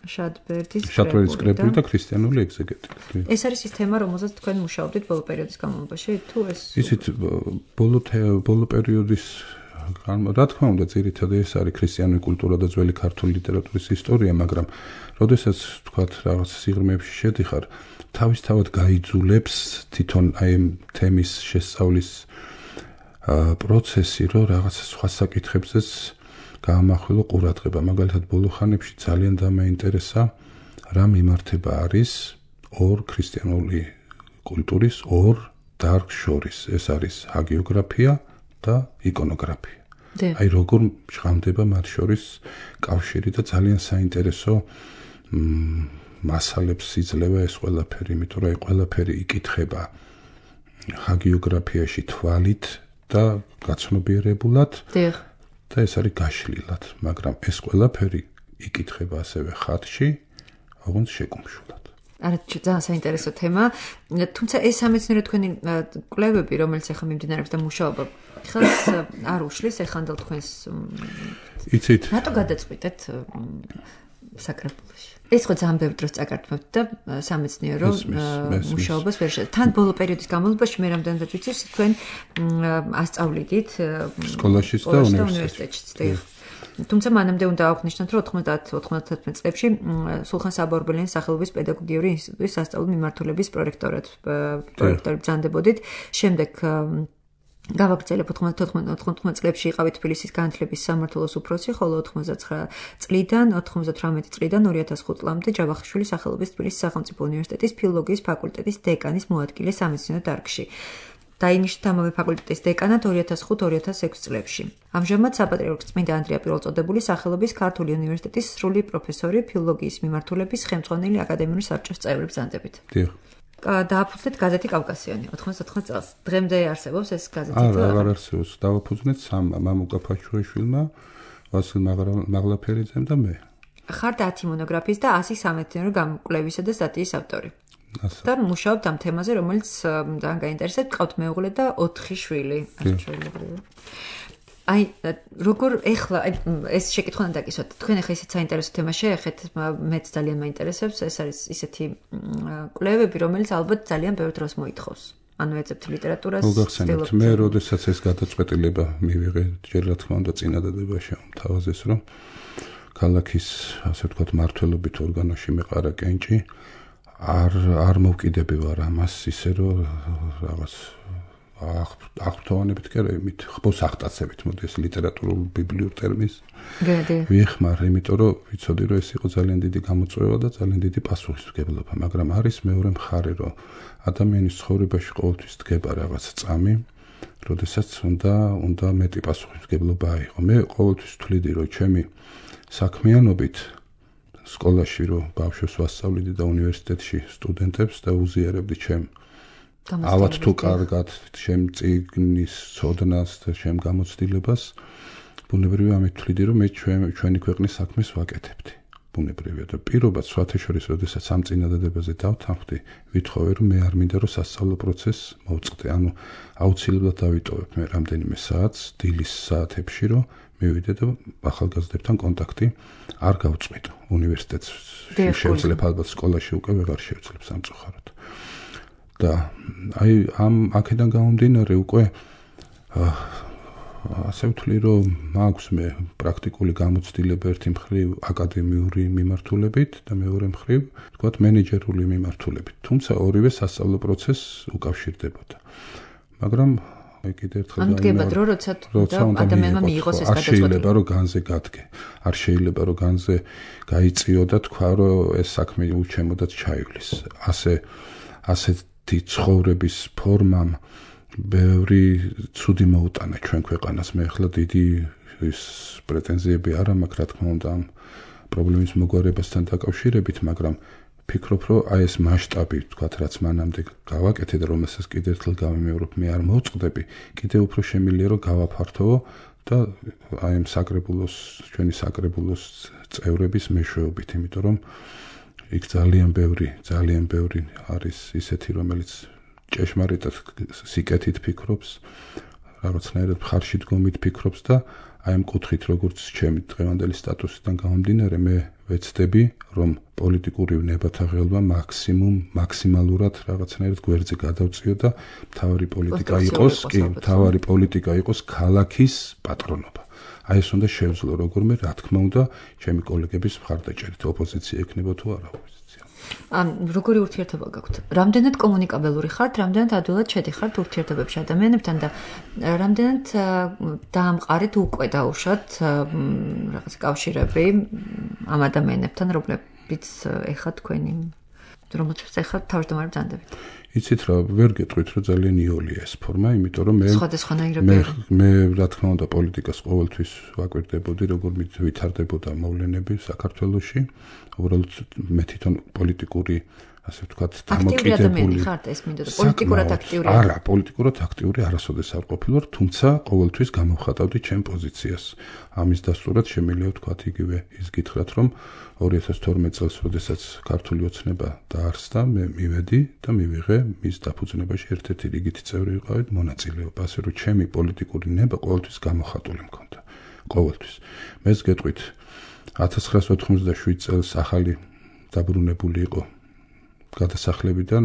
შადბერდის კრებული და ქრისტიანული ეგზეგეტიკა. ეს არის ის თემა, რომელზეც თქვენ მუშაობდით ბოლო პერიოდის განმავლობაში, თუ ეს ისიც ბოლო პერიოდის რა თქმა უნდა, ძირითადად ეს არის ქრისტიანული კულტურა და ძველი ქართული ლიტერატურის ისტორია, მაგრამ როდესაც თქვათ რაღაც სიღრმეებში შედიხარ, თავისთავად გაიძულებს თვითონ აი ამ თემის შესწავლის პროცესი, რომ რაღაც სხვა საკითხებზეც გაამახვილო ყურადღება. მაგალითად, ბოლო ხანებში ძალიან დამაინტერესა რა მიმართება არის ორ ქრისტიანული კულტურის ორ დარგს შორის. ეს არის ჰაგიოგრაფია და იკონოგრაფია. აი როგორ ჟღამდება მათ შორის კავშირი და ძალიან საინტერესო მასალებს იძლევა ეს ყველაფერი, იმიტომ რომ აი ყველაფერი იკითხება ჰაგიოგრაფიაში თვალით და გაცნობიერებულად. და ეს არის გაშლილად, მაგრამ ეს ყველაფერი იკითხება ასევე ხატში, ოღონდ შეკუმშულად. არა, ძალიან საინტერესო თემა, თუმცა ეს სამეცნიერო თქვენი კვლევები, რომელიც ახლა მიმდინარეობს და მუშაობა, ხელს არ უშლის ეხანდელ თქვენს იცით. რატო გადაწყვიტეთ საკრებულოში? ეს ხო ძალიან ბევრი დროს წაგართმევთ და სამეცნიერო მუშაობას ვერ შეძლო. თან ბოლო პერიოდის განმავლობაში მე რამდენადაც ვიცი, თქვენ ასწავლიდით სკოლაშიც და უნივერსიტეტშიც. თუმცა მანამდე უნდა აღვნიშნოთ, რომ 90-91 წლებში სულხან საბორბელიანის სახელობის პედაგოგიური ინსტიტუტის სასწავლო მიმართულების პროექტორად ბრძანდებოდით. შემდეგ გავაგრძელებ 94 წლებში იყავით თბილისის განათლების სამმართველოს უფროსი, ხოლო 99 წლიდან 98 წლიდან 2005 წლამდე ჯავახიშვილის სახელობის თბილისის სახელმწიფო უნივერსიტეტის ფილოლოგიის ფაკულტეტის დეკანის მოადგილე სამეცნიერო დარგში. დაინიშნეთ ამავე ფაკულტეტის დეკანად 2005-2006 წლებში. ამჟამად საპატრიარქოს წმინდა ანდრია პირველწოდებულის სახელობის ქართული უნივერსიტეტის სრული პროფესორი, ფილოლოგიის მიმართულების ხელმძღვანელი აკადემიური საბჭოს წევრი ბრძანდებით. დააფუძნეთ გაზეთი კავკასიონი 99 წელს. დღემდე არსებობს ეს გაზეთი? არა, აღარ არსებობს. დავაფუძნეთ სამმა, მამუკა ფაჩუაშვილმა, ვასილ მაღლაფერიძემ და მე. ხართ 10 მონოგრაფიის და 100 სამეცნიერო გამოკვლევისა და სტატიის ავტორი. და მუშაობთ ამ თემაზე, რომელიც ძალიან გაინტერესებს, გყავთ მეუღლე და 4 შვილი. აი, როგორ ეხლა ეს შეკითხვა უნდა დაკისვათ. თქვენ ახლა ისეთ საინტერესო თემას შეეხეთ, მეც ძალიან მაინტერესებს. ეს არის ისეთი კვლევები, რომელიც ალბათ ძალიან ბევრ დროს მოითხოვს. ანუ ეძებთ ლიტერატურას. მოგახსენებთ, მე როდესაც ეს გადაწყვეტილება მივიღე, ჯერ რა თქმა უნდა წინადადება შემთავაზეს, რომ ქალაქის, ასე ვთქვათ, მმართველობით ორგანოში მეყარა კენჭი. არ მოვკიდები ვარ ამას ისე რომ რაღაც აღფრთოვანებით კი არა, იმით ხბოს აღტაცებით, მოდი ეს ლიტერატურულ ბიბლიურ ტერმინს ვიხმარ, იმიტომ რომ ვიცოდი რომ ეს იყო ძალიან დიდი გამოწვევა და ძალიან დიდი პასუხისმგებლობა, მაგრამ არის მეორე მხარე, რომ ადამიანის ცხოვრებაში ყოველთვის დგება რაღაც წამი, როდესაც უნდა მეტი პასუხისმგებლობა აიღო. მე ყოველთვის ვთვლიდი, რომ ჩემი საქმიანობით სკოლაში რომ ბავშვებს ვასწავლიდი და უნივერსიტეტში სტუდენტებს და უზიარებდი ჩემ ავად თუ კარგად ჩემ წიგნის ცოდნას და ჩემ გამოცდილებას, ბუნებრივია ამით ვთვლიდი, რომ მე ჩვენი ქვეყნის საქმეს ვაკეთებდი. ბუნებრივია და პირობაც სხვათა შორის, როდესაც ამ წინადადებაზე დავთანხმდი, ვითხოვე, რომ მე არ მინდა რომ სასწავლო პროცესს მოვწყდე. ანუ აუცილებლად დავიტოვებ მე რამდენიმე საათს დილის საათებში, რომ მივიდე და ახალგაზრდებთან კონტაქტი არ გავწყვიტო. უნივერსიტეტში შევძლებ, ალბათ სკოლაში უკვე ვეღარ შევძლებ სამწუხაროდ. და აი აქედან გამომდინარე უკვე ასე ვთვლი, რომ მაქვს მე პრაქტიკული გამოცდილება ერთი მხრივ აკადემიური მიმართულებით და მეორე მხრივ, თქვათ, მენეჯერული მიმართულებით. თუმცა ორივე სასწავლო პროცესს უკავშირდებოდა. მაგრამ აი კიდევ ერთხელ ამდგება დრო, როცა ადამიანმა მიიღოს ეს გადაწყვეტილება. არ შეიძლება რომ განზე გადგე. არ შეიძლება რომ განზე გაიწიო და თქვა რომ ეს საქმე უჩემოდაც ჩაივლის. ასეთი ცხოვრების ფორმამ ბევრი ცუდი მოუტანა ჩვენ ქვეყანას. მე ახლა დიდი ის პრეტენზიები არ მაქვს, რა თქმა უნდა, ამ პრობლემის მოგვარებასთან დაკავშირებით, მაგრამ ფიქრობ, რომ აი ეს მასშტაბი, თქვათ, რაც მანამდე გავაკეთე და რომელსაც კიდევ ერთხელ გავიმეორებ, მე არ მოვწყდები, კიდევ უფრო შემიძლია რომ გავაფართოვო და აი ამ საკრებულოს ჩვენი საკრებულოს წევრების მეშვეობით, იმიტომ რომ იქ ძალიან ბევრი არის ისეთი, რომელიც ჭეშმარიტად სიკეთით ფიქრობს, რაღაცნაირად მხარში დგომით ფიქრობს და აი ამ კუთხით, როგორც ჩემი დღევანდელი სტატუსიდან გამომდინარე, მე ვეცდები, რომ პოლიტიკური ნებათა ღელვა მაქსიმალურად რაღაცნაირად გვერდზე გადავწიო და მთავარი პოლიტიკა იყოს ქალაქის პატრონობა. აი ეს უნდა შევძლო როგორმე, რა თქმა უნდა, ჩემი კოლეგების მხარდაჭერით, ოპოზიცია ექნება თუ არა ოპოზიცია. როგორი ურთიერთობა გაქვთ? რამდენად კომუნიკაბელური ხართ, რამდენად ადვილად შედიხართ ურთიერთობებში ადამიანებთან და რამდენად დაამყარეთ უკვე დაუშვათ რაღაც კავშირები ამ ადამიანებთან, რომლებიც ეხლა თქვენი რომელთაც ეხლა თავმჯდომარე ბრძანდებით. იცით რა, ვერ გეტყვით, რომ ძალიან იოლია ეს ფორმა, იმიტომ რომ მე რა თქმა უნდა პოლიტიკას ყოველთვის ვაკვირდებოდი, როგორ ვითარდებოდა მოვლენები საქართველოში. უბრალოდ მე თვითონ პოლიტიკური, ასე ვთქვათ, დამოკიდებული ხართ, ეს მინდოდა პოლიტიკურად აქტიური. არა, პოლიტიკურად აქტიური არასოდეს არ ყოფილვარ, თუმცა ყოველთვის გამოვხატავდი ჩემ პოზიციას. ამის დასტურად შემიძლია ვთქვათ იგივე ის გითხრათ, რომ 2012 წელს, როდესაც ქართული ოცნება დაარსდა, მე მივედი და მივიღე მის დაფუძნებაში ერთ-ერთი რიგითი წევრი ვიყავით მონაწილეობა, ასე რომ ჩემი პოლიტიკური ნება ყოველთვის გამოხატული მქონდა. ყოველთვის. მეც გეტყვით 1987 წელს ახალი დაბრუნებული იყო გადასახლებიდან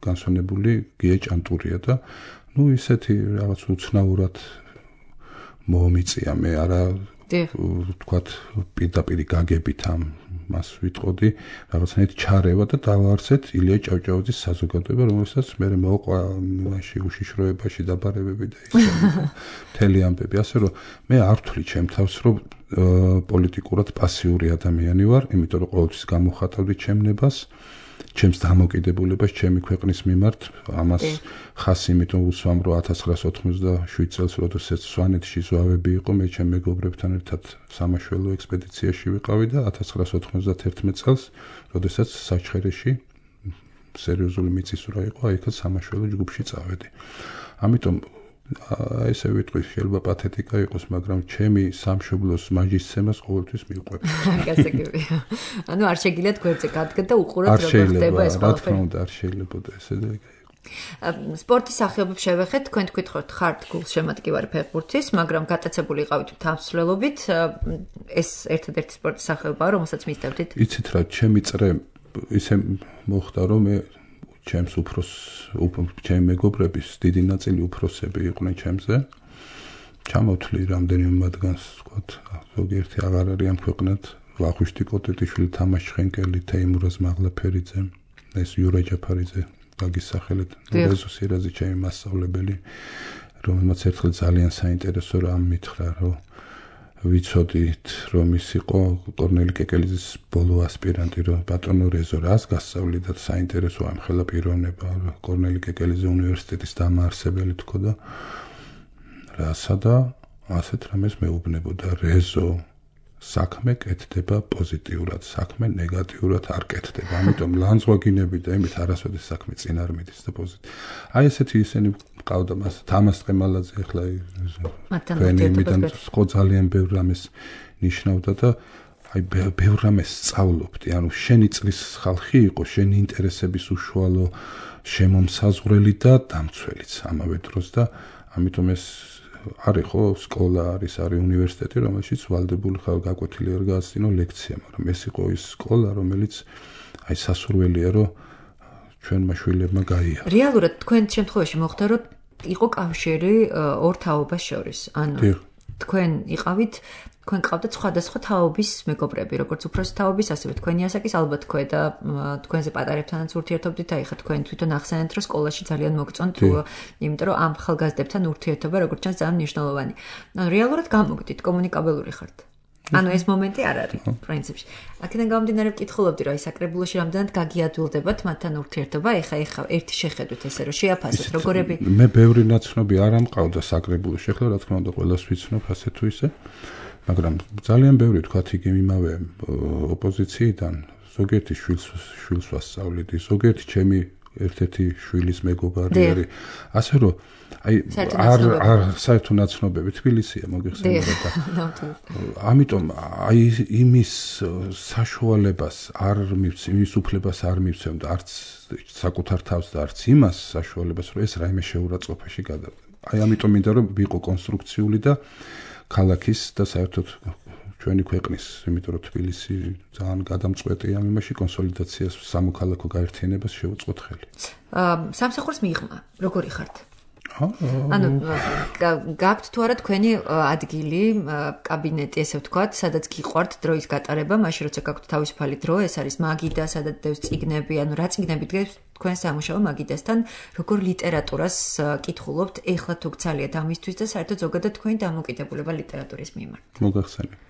განსვენებული გია ჭანტურია და ისეთი რაღაც უცნაურად მომიწია მე არა ვთქვათ პირდაპირ გაგებით მას ვიტყოდი რაღაცნაირად ჩარევა და დავაარსეთ ილია ჭავჭავაძის საზოგადოება, რომელსაც მე მოყვა მაშინ უშიშროებაში დაბარებები და ისე მთელი ამბები, ასე რომ მე არ ვთვლი ჩემ თავს, რომ პოლიტიკურად პასიური ადამიანი ვარ, იმიტომ რომ ყოველთვის გამოხატავდი ჩემ ნებას, ჩემს დამოკიდებულებას ჩემი ქვეყნის მიმართ, ამას ხასი იმიტომ უსვამ, რომ 1987 წელს, როდესაც სვანეთში ზვავები იყო, მე ჩემ მეგობრებთან ერთად სამაშველო ექსპედიციაში ვიყავი და 1991 წელს, როდესაც საჩხერეში სერიოზული მიწისძვრა იყო, აიქაც სამაშველო ჯგუფში წავედი. ამიტომ ესე ვიტყვი, შეიძლება პათეტიკა იყოს, მაგრამ ჩემი სამშობლოს მაჯისცემას ყოველთვის მივყვები. გასაგებია. ანუ არ შეგიძლიათ გვერდზე გადაგდა და უყურებთ როგორ ხდება ეს ყველაფერი. რა თქმა უნდა, არ შეიძლებოდა ესე და სპორტის სახეობებს შევეხეთ, თქვენ თქვით, ხართ გულშემატკივარი ფეხბურთის, მაგრამ გატაცებული იყავით თამსვლელობით, ეს ერთადერთი სპორტის სახეობაა, რომელსაც მისდევდით? იცით რა, ჩემი წრე ისე მოხდა, რომ მე ჩემი მეგობრების დიდი ნაწილი უფროსები იყვნენ ჩემზე. ჩამოვთვლი რამდენიმე მათგანს, ვთქვათ, ზოგიერთი აღარ არიან ქვეყნად, ვახუშტი კოტეტიშვილი, თამაშ შხენკელი, თეიმურაზ მაღლაფერიძე, ეს იურა ჯაფარიძე, გაგის სახელით, რეზო სირაძე ჩემი მასწავლებელი, რომელმაც ერთხელ ძალიან საინტერესო რამ მითხრა, რომ ვიცოდით, რომ ის იყო კორნელი კეკელიძის ბოლო ასპირანტი, რომ ბატონო რეზო რას გასწავლიდა და საინტერესოა ამხელა პიროვნება, კორნელი კეკელიძე უნივერსიტეტის დამაარსებელი თქო და რასა და ასეთ რამეს მეუბნებოდა რეზო საქმე კეთდება პოზიტიურად, საქმე ნეგატიურად არ კეთდება. ამიტომ ლანძღვაგინები და იმით არასოდეს საქმე წინ არ მიდის და პოზიტივ. აი ესეთი ისინი მყავდა მას თამას ყემალაძე ახლა იმიდან ხო ძალიან ბევრ რამეს ნიშნავდა და აი ბევრ რამეს სწავლობდი. ანუ შენი წრის ხალხი იყო, შენი ინტერესების უშუალო შემომსაზღვრელი და დამცველიც ამავე დროს და ამიტომ ეს არის ხო სკოლა არის უნივერსიტეტი, რომელშიც ვალდებული ხარ გაკვეთილი არ გააცდინო ლექცია, მაგრამ ეს იყო ის სკოლა, რომელიც აი სასურველია, რომ ჩვენმა შვილებმა გაიაროს. რეალურად თქვენ შემთხვევაში მოხდა, რომ იყო კავშირი ორ თაობას შორის. ანუ თქვენ იყავით, თქვენ ყავდათ სხვადასხვა თაობის მეგობრები, როგორც უფროსი თაობის, ასევე თქვენი ასაკის, ალბათ და თქვენზე პატარებთანაც ურთიერთობდით, აი ხა თქვენ თვითონ ახსენეთ, რომ სკოლაში ძალიან მოგწონთ, იმიტომ რომ ამ ხალხგაზრდებთან ურთიერთობა როგორც ჩანს ძალიან მნიშვნელოვანი. ანუ რეალურად გამოგდით, კომუნიკაბელური ხართ. ანუ ეს მომენტი არ არის პრინციპში. აქედან გამომდინარე ვკითხულობდი, რომ აი საკრებულოში რამდენად გაგიადვილდებათ მათთან ურთიერთობა, ეხა ერთი შეხედვით ესე რომ შეაფასოთ როგორები. მე ბევრი ნაცნობი არ ამყავდა საკრებულოში, ახლა რა თქმა უნდა ყველას ვიცნობ ასე თუ ისე. მაგრამ ძალიან ბევრი თქვათ იგი იმავე ოპოზიციიდან ზოგიერთი შვილს ვასწავლიდი, ზოგიერთი ჩემი ერთ-ერთი შვილის მეგობარი არის. ასე რომ არ საერთო ნაცნობები თბილისია მოგიხსენებათ და ამიტომ იმის საშუალებას არ მივცემ, იმის უფლებას არ მივცემ და არც საკუთარ თავს და არც იმას საშუალებას, რომ ეს რაიმე შეურაცხყოფაში გადავიდა. ამიტომ მინდა რომ ვიყო კონსტრუქციული და ქალაქის და საერთოდ ჩვენი ქვეყნის, იმიტომ რომ თბილისი ძალიან გადამწყვეტია ამ იმაში კონსოლიდაციას, სამოქალაქო გაერთიანებას შევუწყოთ ხელი. სამსახურს მიიღმა, როგორი ხართ? ანუ გაქვთ თუ არა თქვენი ადგილი, კაბინეტი, ესე ვთქვათ, სადაც გიყვართ დროის გატარება, მაშინ როცა გაქვთ თავისუფალი დრო, ეს არის მაგიდა, სადაც დევს წიგნები, ანუ რა წიგნები დგას თქვენ სამუშაო მაგიდასთან, როგორ ლიტერატურას კითხულობთ, ეხლა თუ გცალიათ ამისთვის და საერთოდ ზოგადად თქვენი დამოკიდებულება ლიტერატურის მიმართ. მოგახსენებთ.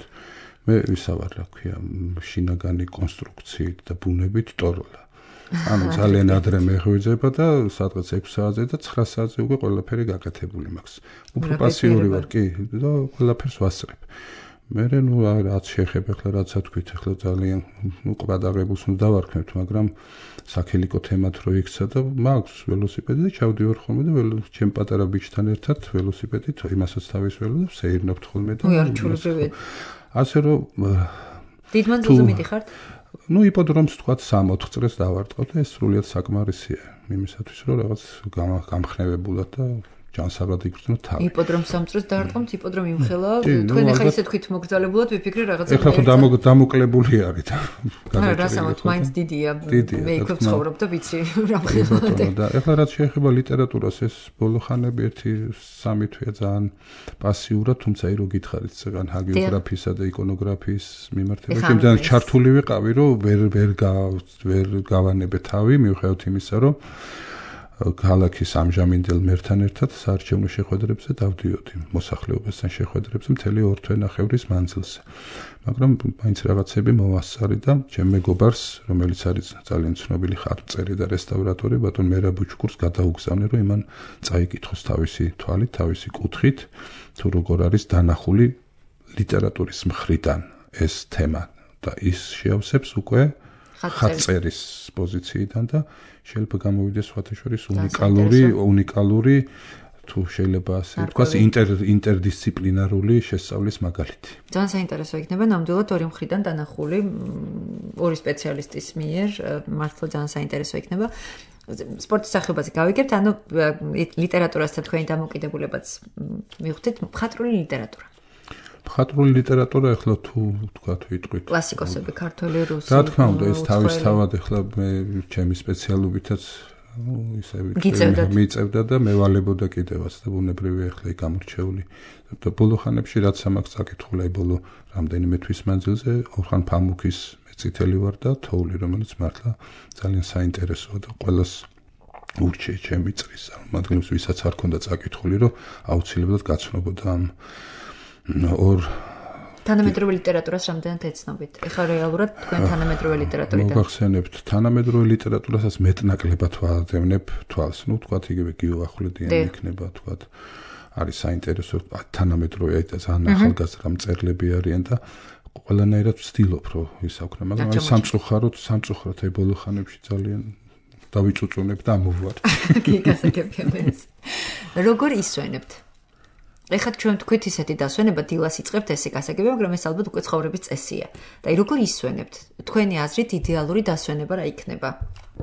მე ვისავარ, რა ქვია, შინაგანი კონსტრუქციით და ბუნებით ტოროლა. ანუ ძალიან ადრე მეღვიძება და სადღაც 6 საათზე და 9 საათზე უკვე ყველაფერი გაკეთებული მაქვს. უფრო პასიური ვარ, კი, და ყველაფერს ვასწრებ. მე რაც შეეხება ახლა რაცა თქვით, ახლა ძალიან ყვადაღებულს უნდა დავარქმევთ, მაგრამ საქელიკო თემად რო იქცა და მაქვს ველოსიპედი და ჩავდივარ ხოლმე და ჩემ პატარა ბიჭთან ერთად ველოსიპედით იმასაც თავის ველო და ვსეირნობთ ხოლმე და ასე რომ დიდ მანძილზე მიდიხართ? იპოდრომს თქვათ 3-4 წრეს დავარტყავ და ეს სრულიად საკმარისია იმისათვის რომ რაღაც გამხნევებულად და ჯანსაღად იგრძნო თავი. იპოდრომს 3 წრეს დავარტყავთ, იპოდრომი იმხელა, თქვენ ახლა ისე თქვით მოგძალებულად ვიფიქრე რაღაცა. ეხლა ხო დამოკლებული არის და რასამოთ მაინც დიდია. მე იქ ვცხოვრობ და ვიცი რა მხოლოდ. და ეხლა რაც შეეხება ლიტერატურას, ეს ბოლო ხანები 1-3 თვეა ძალიან პასიურად, თუმცა ირო გითხარით ზეგან ჰაგიოგრაფიისა და იკონოგრაფიის მიმართებაში, იმდან ჩართული ვიყავი, რომ ვერ გავანებე თავი, მიუხედავად იმისა, რომ ქალაქის ამჟამინდელ მერთან ერთად საარჩევნო შეხვედრებზე დავდიოდი, მოსახლეობასთან შეხვედრებზე მთელი 2 თვე-ნახევრის მანძილზე. მაგრამ მაინც რაღაცები მოვასწარი და ჩემ მეგობარს, რომელიც არის ძალიან ცნობილი ხატმწერი და რესტავრატორი, ბატონ მერაბ ბუჩქურს გადაუგზავნე, რომ იმან წაიკითხოს თავისი თვალით, თავისი კუთხით, თუ როგორ არის დანახული ლიტერატურის მხრიდან ეს თემა და ის შეავსებს უკვე ხატწერის პოზიციიდან და შეიძლება გამოვიდეს სხვათაშორის უნიკალური თუ შეიძლება ასე ვთქვას ინტერდისციპლინარული შესწავლის მაგალითი. ძალიან საინტერესო იქნება ნამდვილად ორი მხრიდან დანახული ორი სპეციალისტის მიერ, მართლა ძალიან საინტერესო იქნება. სპორტის სახეობაზე გავიგებთ, ანუ ლიტერატურასთან თქვენი დამოკიდებულებაც მივხვდით, მხატვრული ლიტერატურა. მხატვრული ლიტერატურა ახლა თუ ვთქვათ ვიტყვით კლასიკოსები ქართული, რუსული. რა თქმა უნდა, ეს თავისთავად ახლა მე ჩემი სპეციალობითაც ისე მიწევდა და მევალებოდა კიდევაც და ბუნებრივია ახლა იქ გამორჩეული. და ბოლო ხანებში რაც ამაქვს წაკითხული, ბოლო რამდენიმე თვის მანძილზე ორხან ფამუქის მეწითელი ვარ და თოვლი, რომელიც მართლა ძალიან საინტერესოა და ყველას ურჩიე ჩემი წრის წარმომადგენლებს, ვისაც არ ქონდა წაკითხული, რომ აუცილებლად გაცნობოდა ამ თანამედროვე ლიტერატურას რამდენად ეცნობით? ეხლა რეალურად თქვენ თანამედროვე ლიტერატურიდან მოგახსენებთ, თანამედროვე ლიტერატურასაც მეტნაკლებად ვადევნებ თვალს. ვთქვათ, იგივე გიო ახვლედიანი იქნება, ვთქვათ, არის საინტერესო თანამედროვე და ძალიან ახალგაზრდა მწერლები არიან და ყველანაირად ვცდილობ, რომ ისაუქნე, მაგრამ აი სამწუხაროდ აი ბოლო ხანებში ძალიან დავიწუწუნებ და ამოვარ. კი, გასაგებია ეს. როგორ ისვენებთ? ეხლა ჩვენ თქვით ისეთი დასვენება დილას იწყებთ ესე გასაგებია, მაგრამ ეს ალბათ უკვე ცხოვრების წესია. და აი როგორ ისვენებთ? თქვენი აზრით იდეალური დასვენება რა იქნება?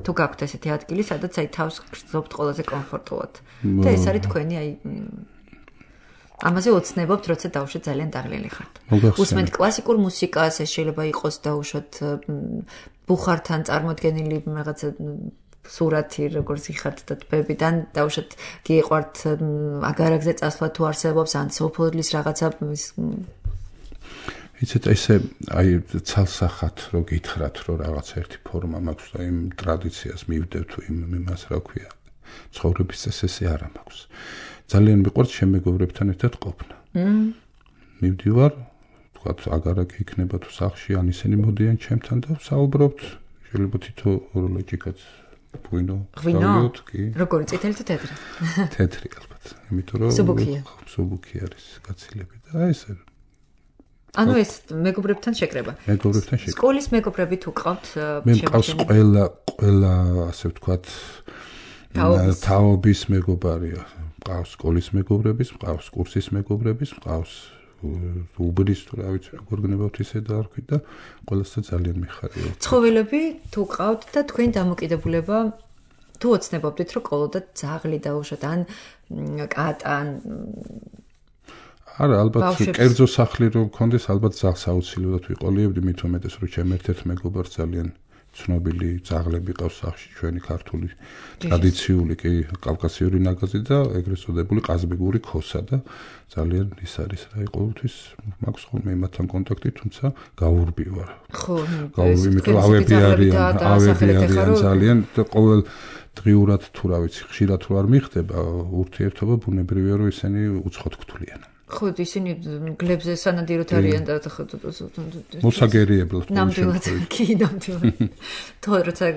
თუ გაქვთ ესეთი ადგილი, სადაც აი თავს გრძნობთ ყველაზე კომფორტულად. და ეს არის თქვენი აი ამაზე ოცნებობთ, როცა დავუშვათ ძალიან დაღლილი ხართ. უსმენთ კლასიკურ მუსიკას, ეს შეიძლება იყოს დავუშვათ ბუხართან წარმოდგენილი რაღაცა სურათი, როგორც იხართ და თბებიდან დავუშვათ გიყვართ აგარაგზე წასვლა თუ არსებობს ან სოფლის რაღაცა იცით ესე აი ცალსახად რო გითხრათ რომ რაღაც ერთი ფორმა მაქვს და იმ ტრადიციას მივდევ თუ იმას რა ქვია ცხოვრების წესზე არა მაქვს ძალიან მიყვარს შემეგობრებთან ერთად ყოფნა მივდივარ თქვათ აგარაკი იქნება თუ სახლში ან ისინი მოდიან ჩემთან და საუბრობთ შეიძლება თითო ოროლოჯიკაც Puino, როგორი წითელი თუ თეთრი? თეთრი ალბათ. იმიტომ რომ სუბუქი არის გაცილები და ესე. ანუ ეს მეგობრებთან შეკრება. მეგობრებთან შეკრება. სკოლის მეგობრები თუ ყავთ? მე მყავს ყველა ასე ვთქვათ თაობის მეგობარია. მყავს სკოლის მეგობრების, მყავს კურსის მეგობრების, მყავს უბრის თუ რა ვიცი როგორ გნებავთ ისე დაარქვით და ყველასთან ძალიან მიხარია. ცხოველები თუ ყავთ და თქვენ დამოკიდებულება თუ ოცნებობდით რომ ყოლოდათ ძაღლი დაუშვათ ან კატან არა ალბათ კერძო სახლი რომ გქონდეს ალბათ ძაღლს აუცილებლად ვიყოლიებდი მით უმეტეს რომ ჩემ ერთ-ერთ მეგობარს ძალიან ცნობილი ძაღლები ყავს სახლში ჩვენი ქართული ტრადიციული კი კავკასიური ნაგაზი და ეგრეთ წოდებული ყაზბეგური ქოსა და ძალიან ის არის რა ყოველთვის მაქვს ხოლმე იმათთან კონტაქტი თუმცა გაურბი ვარ ხო გაურბი იმიტომ ავები არიან ძალიან და ყოველ დღიურად თუ რა ვიცი ხშირად თუ არ მიხდება ურთიერთობა ბუნებრივია რომ ისინი უცხოთ გთვლიან ხო ისინი გლებზე სანადიროთ არიან და მოსაგერიებლად ნამდვილად კი ნამდვილად თორე როცა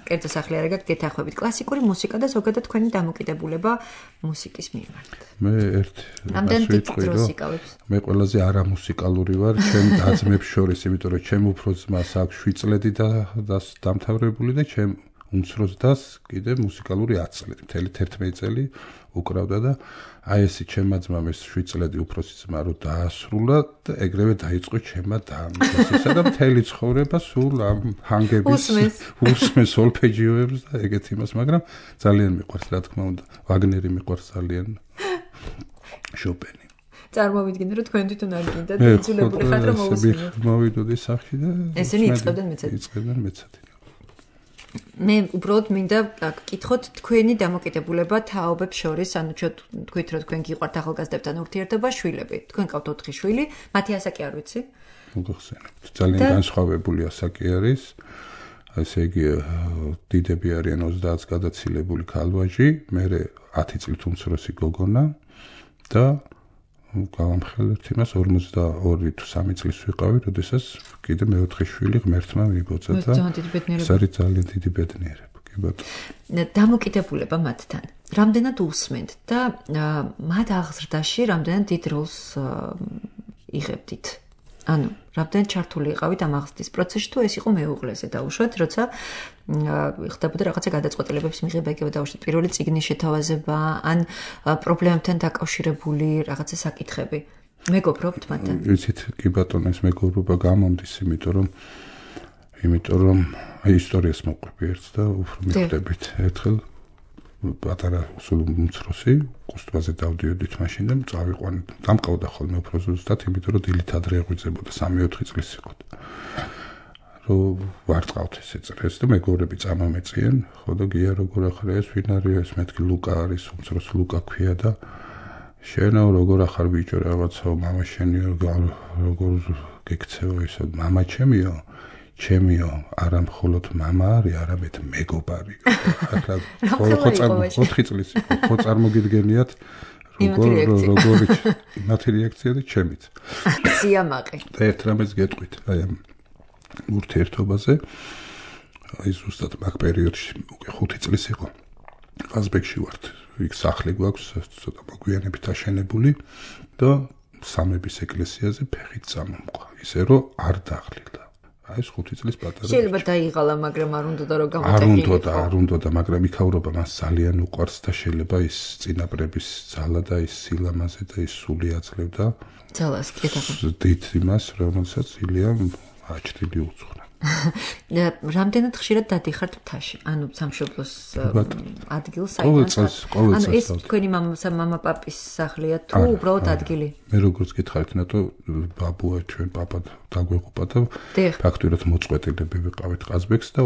კერძო სახლი არ გაქვს გეთახვებით კლასიკური მუსიკა და ზოგადად თქვენი დამოკიდებულება მუსიკის მიმართ მე ერთ ამდენ დროს იკავებს მე ყველაზე არამუსიკალური ვარ ჩემ დაძმებს შორის იმიტომ რომ ჩემ უფრო ძმას აქვს 7 წლები და დამთავრებული და ჩემ უმცროს დას კიდე მუსიკალური 10 წლები მთელი 11 წელი უკრავდა და აი ესე ჩემმა ძმამ ეს 7 წლები უფროსი ძმა რო დაასრულა და ეგრევე დაიწყო ჩემმა დამისისა და მთელი ცხოვრება სულ ამ ჰანგების უსმეს სოლფეჯიოებს და ეგეთ იმას მაგრამ ძალიან მიყვარს რა თქმა უნდა ვაგნერი მიყვარს ძალიან შოპენი წარმოვიდგინე რომ თქვენ თვითონ არ გინდა და იძულებული ხართ რომ მოусმინოთ მოვიდოდი სახში და ესენი იწყებდნენ მეცადი მე უბრალოდ მინდა გკითხოთ თქვენი დამოკიდებულება თაობებს შორის, ანუ თქვით რომ თქვენ გიყვართ ახალგაზრდებთან ურთიერთობა, შვილები. თქვენ ყავთ 4 შვილი, მათი ასაკი არ ვიცი? მოგხსენებთ. ძალიან განსხვავებული ასაკი არის. ესე იგი დიდები არიან 30-ს გადაცილებული ქალვაჟი, მე 10 წლით უმცროსი გოგონა და გავამხელებთ იმას 42 თუ 3 წლის ვიყავი, როდესაც კიდე მეოთხე შვილი ღმერთმა მიბოძა და ეს არის ძალიან დიდი ბედნიერება, კი ბატონო. დამოკიდებულება მათთან. რამდენად უსმენთ და მათ აღზრდაში რამდენად დიდ როლს იღებდით? ანუ რამდენად ჩართული იყავით ამ აღზრდის პროცესში თუ ეს იყო მეუღლეზე დაუშვათ, როცა ხდებოდა რაღაცა გადაწყვეტილებების მიღება იგივე დაუშვათ პირველი წიგნის შეთავაზება ან პრობლემებთან დაკავშირებული რაღაცა საკითხები. მეგობრობთ მათთან? იცით, კი ბატონო, ეს მეგობრობა გამომდის, იმიტომ რომ ისტორიას მოყვები ერთ და უფრო მიხვდებით ერთხელ პატარა სულ უმცროსი კუსტვაზე დავდიოდით მაშინ და წავიყვანეთ. დამყავდა ხოლმე უფრო ზუსტად, იმიტომ რომ დილით ადრე ეღვიძებოდა 3-4 წლის იყო. რომ ვარწყავთ ესე წრეს და მეგობრები წამომეწიან, ხო და გია როგორ ახლა ეს ვინ არის ეს მეთქი ლუკა არის, უმცროს ლუკა ქვია და შენო როგორ ახარ ბიჭო რაღაცაო მამა შენი როგორ გეკცეო ისო მამა ჩემიო ჩემიო არა მხოლოდ მამა არის, არამედ მეგობარი. ახლა 4 წლის იყო, ხო წარმოგიდგენიათ როგორ მათი რეაქცია და ჩემიც. სიამაყე. და ერთ რამეს გეტყვით, აი ამ ურთიერთობაზე. აი ზუსტად მაგ პერიოდში უკვე 5 წლის იყო. ყაზბეგში ვართ. იქ სახლი გვაქვს, ცოტა მოგვიანებით აშენებული და სამების ეკლესიაზე ფეხით წამომყვა. ისე რომ არ დაღლილა. აი ეს 5 წლის პატარა. შეიძლება დაიღალა, მაგრამ არ უნდა რომ გამოტეხილიყო. არ უნდა, მაგრამ იქაურობა მას ძალიან უყვარს და შეიძლება ის წინაპრების ძალა და ის სილამაზე და ის სული აძლევდა. ძალას კეთახა. დიდ იმას, რომელსაც ილიამ აჩრილი უძღვნა. რამდენად ხშირად დადიხართ მთაში? ანუ სამშობლოს ადგილს საერთოდ. ანუ ეს თქვენი მამა-პაპის სახლია თუ უბრალოდ ადგილი? მე როგორც გითხარით, ნატო ბაბუა ჩვენ პაპა დაგვეყობა და ფაქტურად მოწყვეტილები ვიყავით ყაზბეგს და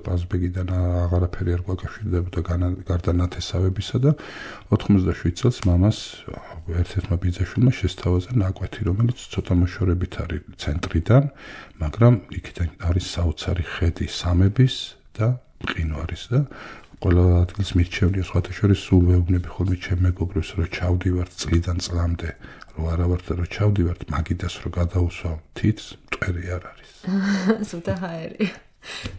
ყაზბეგიდან აღარაფერი არ გვაკავშირდებოდა გარდა ნათესავებისა და 97 წელს მამას ერთ-ერთმა ბიძაშვილმა შესთავაზა ნაკვეთი, რომელიც ცოტა მოშორებით არის ცენტრიდან, მაგრამ იქიდან არის საოცარი ხედი სამების და მყინვარის და ყველა ადგილს მირჩევნია სხვათა შორის სულ ვეუბნები ხოლმე ჩემ მეგობრებს რომ ჩავდივართ წლიდან წლამდე რომ არა ვარ და რომ ჩავდივართ მაგიდას რომ გადაუსვამ თითს მტვერი არ არის. სულთა ჰაერი.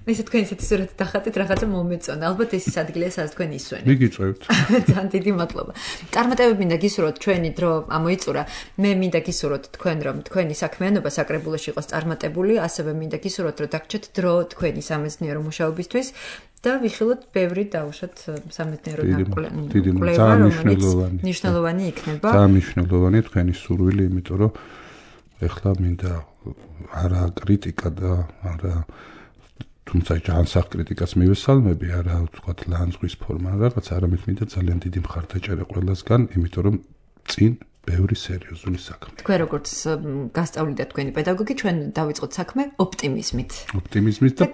ესე თქვენ ისეთი სურათი დახატეთ, რაღაცა მომეწონა. ალბათ ეს ის ადგილია, სადაც თქვენ ისვენებთ. მიგიწევთ. ძალიან დიდი მადლობა. წარმატებები მინდა გისურვოთ, ჩვენი დრო ამოიწურა. მე მინდა გისურვოთ თქვენ, რომ თქვენი საქმიანობა საკრებულოში იყოს წარმატებული, ასევე მინდა გისურვოთ, რომ დაგჭეთ დრო თქვენი სამეცნიერო მუშაობისთვის და ვიხილოთ ბევრი დაუშვათ სამეცნიერო კვლევა, რომელიც მნიშვნელოვანი იქნება. ძალიან მნიშვნელოვანია თქვენი სურვილი, იმიტომ რომ ეხლა მინდა არა კრიტიკა და არა თუმცა ჯანსაღ კრიტიკას მივესალმები, არა ვთქვათ ლანძღვის ფორმა რაღაც, არამედ მინდა ძალიან დიდი მხარდაჭერა ყველასგან, იმიტომ რომ წინ ბევრი სერიოზული საქმე. თქვენ როგორც გასწავლიდათ თქვენი პედაგოგი, ჩვენ დავიწყოთ საქმე ოპტიმიზმით. ოპტიმიზმით და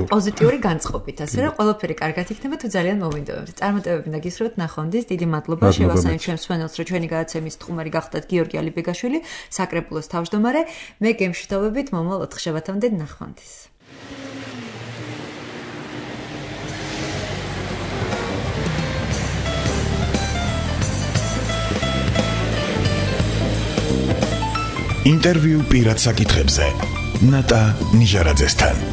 პოზიტიური განწყობით, ასე რომ ყველაფერი კარგად იქნება თუ ძალიან მოვინდომებთ. წარმატებები და გისურვოთ ნახვამდის, დიდი მადლობა შევასწავლეთ ჩვენს მსმენელს, რომ ჩვენი გადაცემის სტუმარი გახდათ გიორგი ალიბეგაშვილი, საკრებულოს თავმჯდომარე. მე გემშვიდობებით მომავალ 4 შაბათამდე ნახვამდის. ინტერვიუ პირად საკითხებზე ნატა ნიჟარაძესთან.